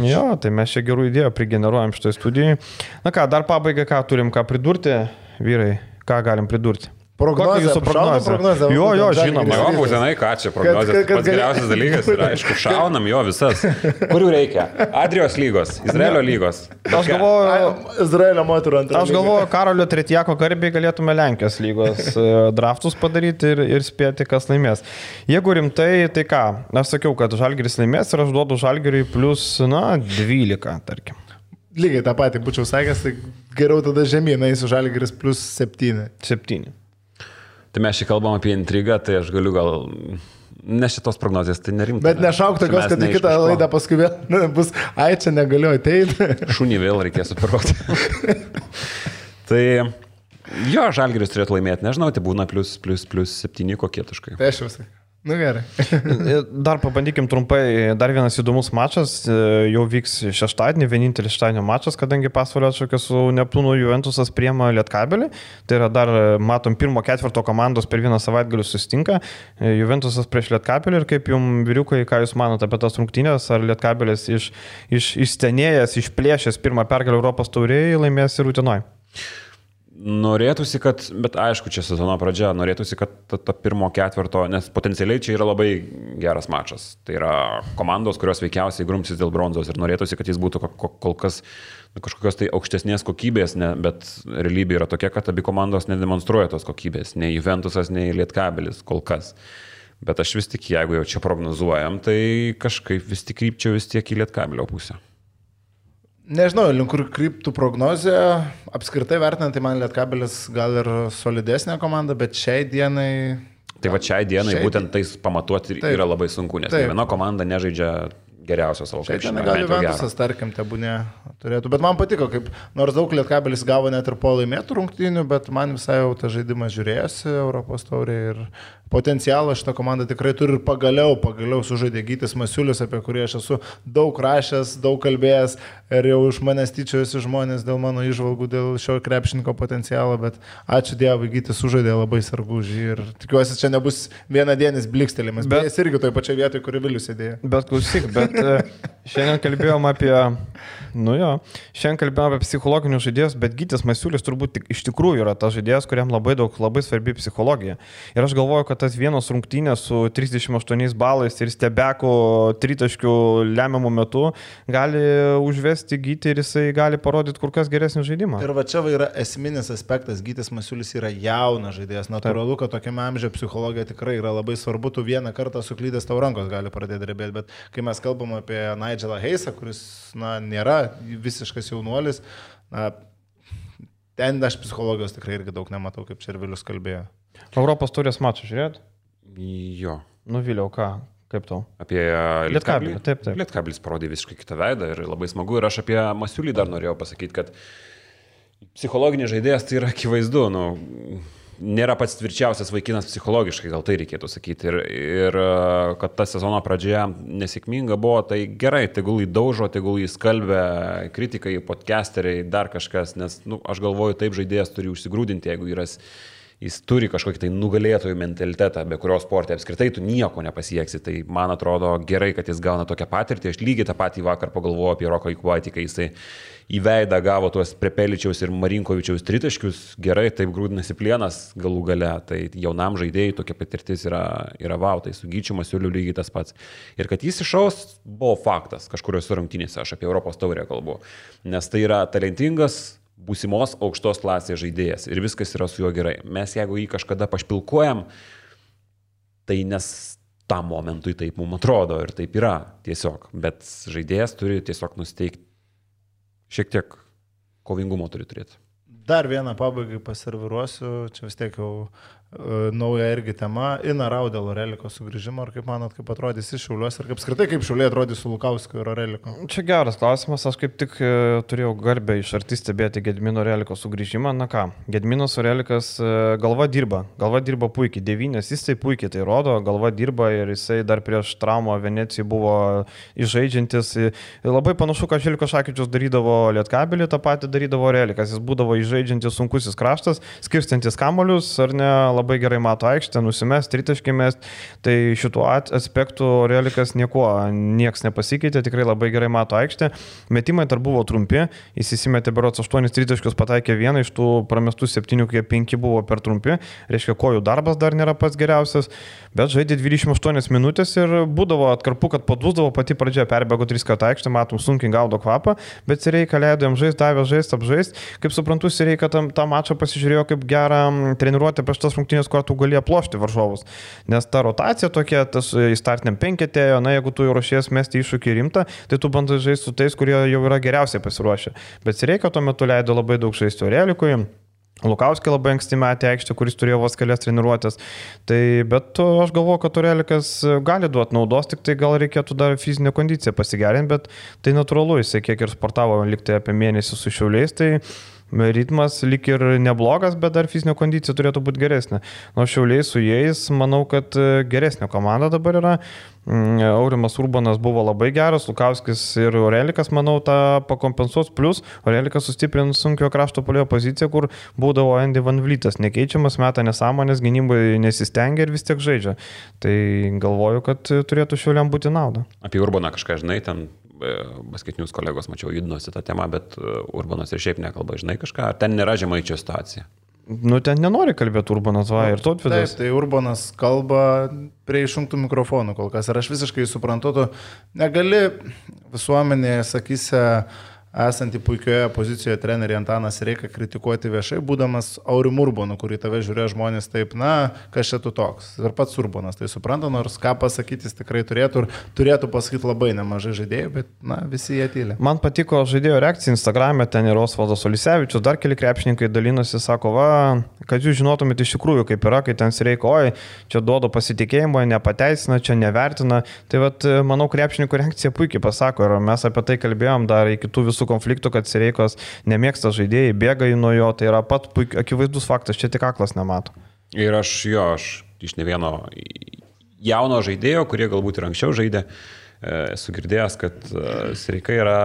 Jo, tai mes čia gerų idėjų prigeneruojam šitoj studijai. Na ką, dar pabaigai, ką turim ką pridurti, vyrai, ką galim pridurti? Prognozė, jūsų prognozė? prognozė? Jo, jo, žinoma. Jo, būtinai, ką čia prognozė. Kad, kad, Pats geriausias gali... dalykas yra, aišku, šaunam jo visas. Kurių reikia? Adrijos lygos, Izraelio lygos. Aš galvoju, Izraelio moterų antrą. Aš galvoju, Karolio Tretjako garbiai galėtume Lenkijos lygos draftus padaryti ir, ir spėti, kas laimės. Jeigu rimtai, tai ką? Aš sakiau, kad Žalgiris laimės ir aš duodu Žalgiriui plus, na, dvylika, tarkim. Lygiai tą patį būčiau sakęs, tai geriau tada žemyn, eisiu Žalgiris plus septyni. septyni. Tai mes šį kalbam apie intrigą, tai aš galiu gal... Ne šitos prognozijas, tai nerimta. Bet nešauk tokios, kad į kitą laidą paskui vėl bus, ai, čia negaliu ateiti. Šunį vėl reikės superuoti. Tai jo, Žalgiris turėtų laimėti, nežinau, tai būna plus, plus, plus septyni kokie taškai. Tai aš jau sakai. Nu gerai. Dar pabandykim trumpai, dar vienas įdomus mačas, jau vyks šeštadienį, vienintelis šeštadienio mačas, kadangi Pasvalio atšaukė su Neptūnu Juventusas priema Lietkabelį. Tai yra dar, matom, pirmo ketvirto komandos per vieną savaitgalį susitinka. Juventusas prieš Lietkabelį ir kaip jums, vyriukai, ką jūs manote apie tas rungtynės, ar Lietkabelis iš, iš, išstenėjęs, išplėšęs pirmą pergalę Europos taurėje laimės ir Utenoj? Norėtųsi, kad, bet aišku, čia sezono pradžia, norėtųsi, kad ta, ta pirmo ketvirto, nes potencialiai čia yra labai geras mačas. Tai yra komandos, kurios veikiausiai grumsis dėl bronzos ir norėtųsi, kad jis būtų kol kas kažkokios tai aukštesnės kokybės, ne, bet realybė yra tokia, kad abi komandos nedemonstruoja tos kokybės, nei Juventusas, nei Lietkabelis kol kas. Bet aš vis tik, jeigu jau čia prognozuojam, tai kažkaip vis tik krypčiau vis tiek į Lietkabelio pusę. Nežinau, link kur kryptų prognozė, apskritai vertinant, tai man Lietkabelis gal ir solidesnė komanda, bet šiai dienai... Tai va šiai dienai šiai... būtent tais pamatuoti taip, yra labai sunku, nes taip. Viena komanda nežaidžia geriausios savo krepšinio. Gal Juventusas, tarkim, tebūnė turėtų. Bet man patiko, kaip nors daug Lietkabelis gavo net ir po laimėtų rungtynių, bet man visai jau tą žaidimą žiūrėjosi Europos taurė ir potencialą šitą komandą tikrai turi ir pagaliau, pagaliau sužaidė Gytis Masiulis, apie kurį aš esu daug rašęs, daug kalbėjęs ir jau iš manęs tyčiojasi žmonės dėl mano įžvalgų, dėl šio krepšininko potencialo, bet ačiū Dievui, Gytis sužaidė labai sargužį ir tikiuosi, čia nebus vienadienis blikstelimas, bet, bet jis irgi toje pačioje vietoje, kur Vilius sėdėjo. Bet klausyk, bet šiandien kalbėjom apie, nu jo, šiandien kalbėjom apie psichologinius žaidėjus, bet Gytis Masiulis turbūt iš tikrųjų yra tas žaidėjas, kuriam labai daug, labai svarbi psichologija. Ir aš galvoju, kad tas vienos rungtynės su trisdešimt aštuoniais balais ir Stebeko tritaškių lemiamų metu gali užvesti Gytį ir jisai gali parodyti kur kas geresnį žaidimą. Ir va čia va yra esminis aspektas, Gytis Masiulis yra jaunas žaidėjas, natūralu, kad tokiame amžiuje psichologija tikrai yra labai svarbu, tu vieną kartą suklydęs tau rankos gali pradėti drebėti, bet kai mes kalbam apie Nigelą Heisą, kuris na, nėra visiškas jaunuolis, na, ten aš psichologijos tikrai irgi daug nematau, kaip čia ir Vilius kalbėjo. Europos taurės mačą žiūrėt? Jo. Nuvyliau, ką? Kaip tau? Apie Lietkablį. Taip, taip. Lietkablis parodė visiškai kitą veidą ir labai smagu. Ir aš apie Masiulį dar norėjau pasakyti, kad psichologinis žaidėjas tai yra akivaizdu. Nu, nėra pats tvirčiausias vaikinas psichologiškai, gal tai reikėtų sakyti. Ir, ir kad ta sezono pradžioje nesėkminga buvo, tai gerai, tegul jį daužo, tegul jį skalbia kritikai, podcasteriai, dar kažkas. Nes nu, aš galvoju, taip žaidėjas turi užsigrūdinti, jeigu yra... Jis turi kažkokį tai nugalėtojų mentalitetą, be kurio sporte apskritai tu nieko nepasieksi. Tai man atrodo gerai, kad jis gauna tokią patirtį. Aš lygiai tą patį vakar pagalvojau apie Roką Ikuvaitį, kai jisai į veidą gavo tuos Prepeličiaus ir Marinkovičiaus tritaškius. Gerai, taip grūdinasi plienas galų gale. Tai jaunam žaidėjai tokia patirtis yra, yra vau. Tai su Gyčiu Masiuliu lygiai tas pats. Ir kad jis išaus, buvo faktas kažkuriuose rungtynėse. Aš apie Europos taurę kalbu. Nes tai yra talentingas būsimos aukštos klasės žaidėjas ir viskas yra su juo gerai. Mes jeigu jį kažkada pašpilkuojam, tai nes tam momentui taip mums atrodo ir taip yra tiesiog. Bet žaidėjas turi tiesiog nusteikti, šiek tiek kovingumo turi turėti. Dar vieną pabaigai paserviruosiu, čia vis tiek jau uh, nauja irgi tema, Ina Raudėl Oreliko sugrįžimo, ar kaip manot, kaip atrodys iš Šiauliuos, ir kaip skirtai kaip Šiauliai atrodys su Lukauskiu ir Oreliko? Čia geras klausimas, aš kaip tik turėjau garbę iš arti stebėti Gedimino Oreliko sugrįžimą. Na ką, Gediminas Orelikas galva dirba, galva dirba puikiai, devynės, jis tai puikiai tai rodo, galva dirba ir jisai dar prieš traumą Venecijai buvo išžaidžiantis. Labai panašu, kad Željko Šakyčius darydavo Lietkabelį, tą patį darydavo Orelikas, jis būdavo išžaidžiantis sunkusis kraštas, skirstantis kamolius, ar ne, labai gerai mato aikštę, nusimest, tritaškį mest, tai šituo aspektu Orelikas nieko, nieks nepasikeitė, tikrai labai gerai mato aikštę. Metimai dar buvo trumpi, jis įsimetė berods aštuonis tritaškius, pataikė vieną, iš tų pramestų septynių, kai penki buvo per trumpi, reiškia, kojų darbas dar nėra pats geriausias, bet žaidė dvidešimt aštuonias minutės ir būdavo atkarpu, kad padūsdavo, pati pradžia perbėgo tris kartų aikštę, matom, sunkiai gaudo kvapą, bet Sireika leido jam žaisti, davė žaisti, apžaisti. Kaip suprantu, Sireika tą, tą mačą pasižiūrėjo kaip gerą treniruotę prieš tas rungtynės, kur tu gali aplošti varžovus. Nes ta rotacija tokia, tas įstartiniam penketėjo, na jeigu tu jau ruošies mesti iššūkį rimtą, tai tu bandai žaisti su tais, kurie jau yra geriausiai pasiruošę. Bet Sireika tuo metu leido labai daug žaisti Orelikui. Lukauskį labai anksti metė aikštę, kuris turėjo vos kelias treniruotės. Tai, bet aš galvoju, kad Orelikas gali duoti naudos, tik tai gal reikėtų dar fizinę kondiciją pasigerinti, bet tai natūralu, jisai kiek ir sportavo liktai apie mėnesį su Šiauliais, tai ritmas lik ir neblogas, bet dar fizinė kondicija turėtų būti geresnė. Nuo Šiauliai su jais, manau, kad geresnė komanda dabar yra. Aurimas Urbanas buvo labai geras, Lukauskis ir Orelikas, manau, tą pakompensuos, plus Orelikas sustiprino sunkio krašto puolėjo poziciją, kur būdavo Andy Van Vlytas, nekeičiamas, meta nesąmonės, gynybai nesistengia ir vis tiek žaidžia. Tai galvoju, kad turėtų Šiauliam būti nauda. Apie Urbaną kažką žinai, ten basketinius kolegos, mačiau, judinosi tą temą, bet Urbanas ir šiaip nekalba, žinai kažką, ar ten nėra Žemaičio situacija? Nu, ten nenori kalbėti Urbanas, va, ir Tautvydas. Taip, tai Urbanas kalba prie išjungtų mikrofonų kol kas, ir aš visiškai suprantu, tu negali visuomenėje, sakysi, esantį puikioje pozicijoje trenerį Antaną Sireiką kritikuoti viešai, būdamas Aurimu Urbonu, kurį tave žiūrėjo žmonės taip, na, kas čia tu toks. Ir pats Urbonas tai supranta, nors ką pasakyti jis tikrai turėtų ir turėtų pasakyti labai nemažai žaidėjų, bet, na, visi jie tyli. Man patiko žaidėjo reakcija Instagram'e, ten ir Osvaldas Olisevičius, dar keli krepšininkai dalinosi, sako, va, kad jūs žinotumėte iš tikrųjų, kaip yra, kai ten Sireika, oi, čia duoda pasitikėjimo, nepateisina, čia nevertina. Tai vat, manau, krepšininkų reakcija puikiai pasako ir mes apie tai kalbėjom dar iki tų visų konfliktų, kad Sireikos nemėgsta žaidėjai, bėga nuo jo, tai yra pat puik, akivaizdus faktas, čia tik aklas nemato. Ir aš jo, aš iš ne vieno jauno žaidėjo, kurie galbūt ir anksčiau žaidė, esu girdėjęs, kad Sireika yra,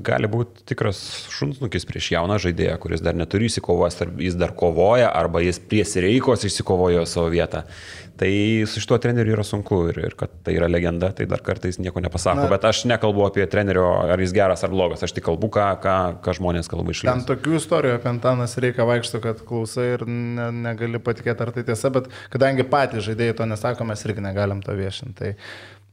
gali būti tikras šunsnukis prieš jauną žaidėją, kuris dar neturi įsikovojęs, jis dar kovoja, arba jis prie Sireikos išsikovojo savo vietą. Tai su šituo treneriu yra sunku ir, ir kad tai yra legenda, tai dar kartais nieko nepasako. Na, bet aš nekalbu apie trenerio, ar jis geras ar blogas, aš tik kalbu, ką, ką, ką žmonės kalba iš ten tokių istorijų apie Antaną Sireiką vaikšto, kad klausai ir ne, negali patikėti, ar tai tiesa, bet kadangi patys žaidėjai to nesako, mes irgi negalim to viešinti. Tai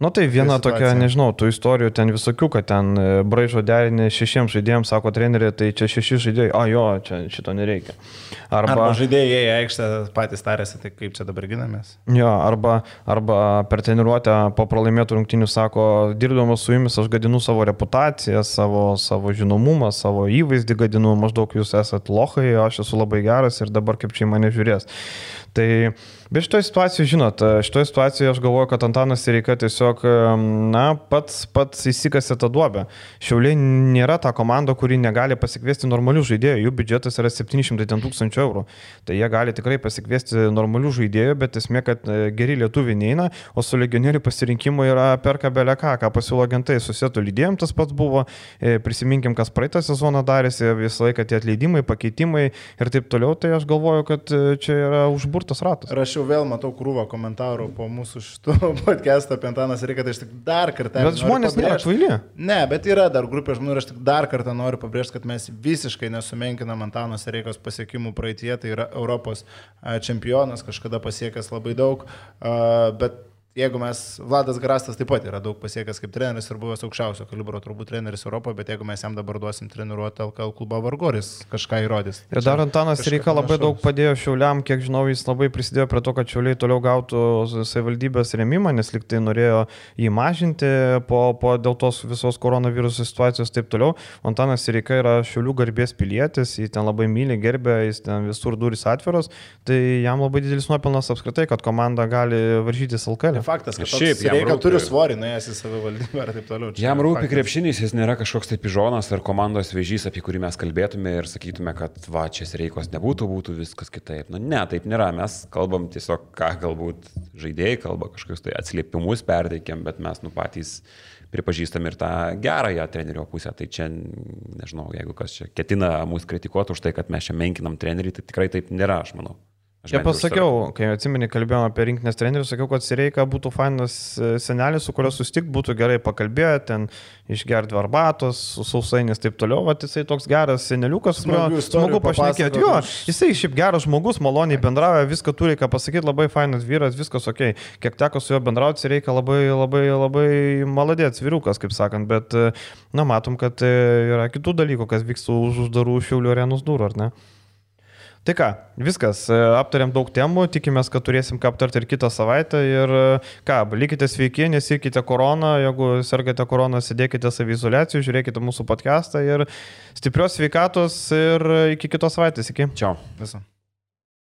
nu tai viena tai tokia, nežinau, tų istorijų ten visokių, kad ten braižo derinį šešiems žaidėjams, sako trenerė, tai čia šeši žaidėjai, a jo, čia šito nereikia. Arba, arba žaidėjai į aikštę patys tarėsi, tai kaip čia dabar ginamės. Jo, arba, arba per treniruotę po pralaimėtų rungtynių sako, dirbdamas su jumis aš gadinu savo reputaciją, savo, savo žinomumą, savo įvaizdį gadinu, maždaug jūs esat lochai, aš esu labai geras ir dabar kaip čia į mane žiūrės. Tai, bet šitoje situacijoje, žinot, šitoje situacijoje aš galvoju, kad Antanas Sireika tiesiog, na, pats, pats įsikasė tą duobę. Šiauliai nėra ta komanda, kuri negali pasikviesti normalių žaidėjų, jų biudžetas yra septyni šimtai tūkstančių eurų. Tai jie gali tikrai pasikviesti normalių žaidėjų, bet esmė, kad geri lietuviai neina, o su legionierių pasirinkimu yra perka belę ką, ką pasiūlo agentai, susietų lydėjim tas pats buvo, prisiminkim, kas praeitą sezoną darėsi, visą laiką tie atleidimai, pakeitimai ir taip toliau, tai aš galvoju, kad čia yra užburtas ratas. Ir aš jau vėl matau krūvą komentarų po mūsų šitų podcast'o apie Antaną Sireiką, tai aš tik dar kartą... Bet žmonės nėra kvaili. Ne, bet yra dar grupė žmonių ir aš tik dar kartą noriu pabrėžti, kad mes visiškai nesumenkinam Antano Sireikos pasiekimų praeitie, tai yra Europos čempionas, kažkada pasiekęs labai daug, bet jeigu mes, Vladas Garastas taip pat yra daug pasiekęs kaip treneris ir buvęs aukščiausio kalibro turbūt treneris Europoje, bet jeigu mes jam dabar duosim treniruoti L K L klubą vargoris, kažką įrodys. Ir dar Antanas Sireika labai daug padėjo Šiauliam, kiek žinau, jis labai prisidėjo prie to, kad Šiauliai toliau gautų savivaldybės rėmimą, nes liktai norėjo jį mažinti po, po dėl tos visos koronaviruso situacijos taip toliau. Antanas Sireika yra Šiaulių garbės pilietis, jį ten labai myli, gerbė, jis ten visur durys atviros, tai jam labai didelis nuopelnas apskritai, kad komanda gali varžytis L K L. Faktas, kad šiaip Sireika turi svorį, nuėjęs į savivaldybę ir taip toliau. Jam rūpi krepšinis, jis nėra kažkoks tai pižonas ar komandos vėžys, apie kurį mes kalbėtume ir sakytume, kad va, čia Sireikos nebūtų, būtų viskas kitaip. Nu ne, taip nėra, mes kalbam tiesiog, ką galbūt žaidėjai kalba, kažkokius tai atsiliepimus perteikėm, bet mes nu patys pripažįstam ir tą gerąją trenerio pusę. Tai čia, nežinau, jeigu kas čia ketina mus kritikuoti už tai, kad mes čia menkinam trenerį, tai tikrai taip nėra, aš manau. Čia pasakiau, kai atsimeni, kalbėjome apie rinkinės trenerius, sakiau, kad Sireika būtų fainas senelis, su kurio susitikt, būtų gerai pakalbėti, ten išgerti arbatos, sausainis taip toliau, va, jisai toks geras seneliukas, kurio smagu pašnekėti. Jo, jisai šiaip geras žmogus, maloniai bendrauja, viską turi ką pasakyti, labai fainas vyras, viskas ok. Kiek teko su juo bendrauti, Sireika labai, labai, labai maladėts vyrukas, kaip sakant, bet, na, matom, kad yra kitų dalykų, kas vyksta už uždarų Šiaulių arenos durų, ar ne? Tai ką, viskas, aptarėm daug temų, tikimės, kad turėsim ką aptarti ir kitą savaitę ir ką, likite sveiki, nesirkite koroną, jeigu sergate koroną, sėdėkite saviizoliacijų, žiūrėkite mūsų podcastą ir stiprios sveikatos ir iki kitos savaitės, iki. Čiau. Viso.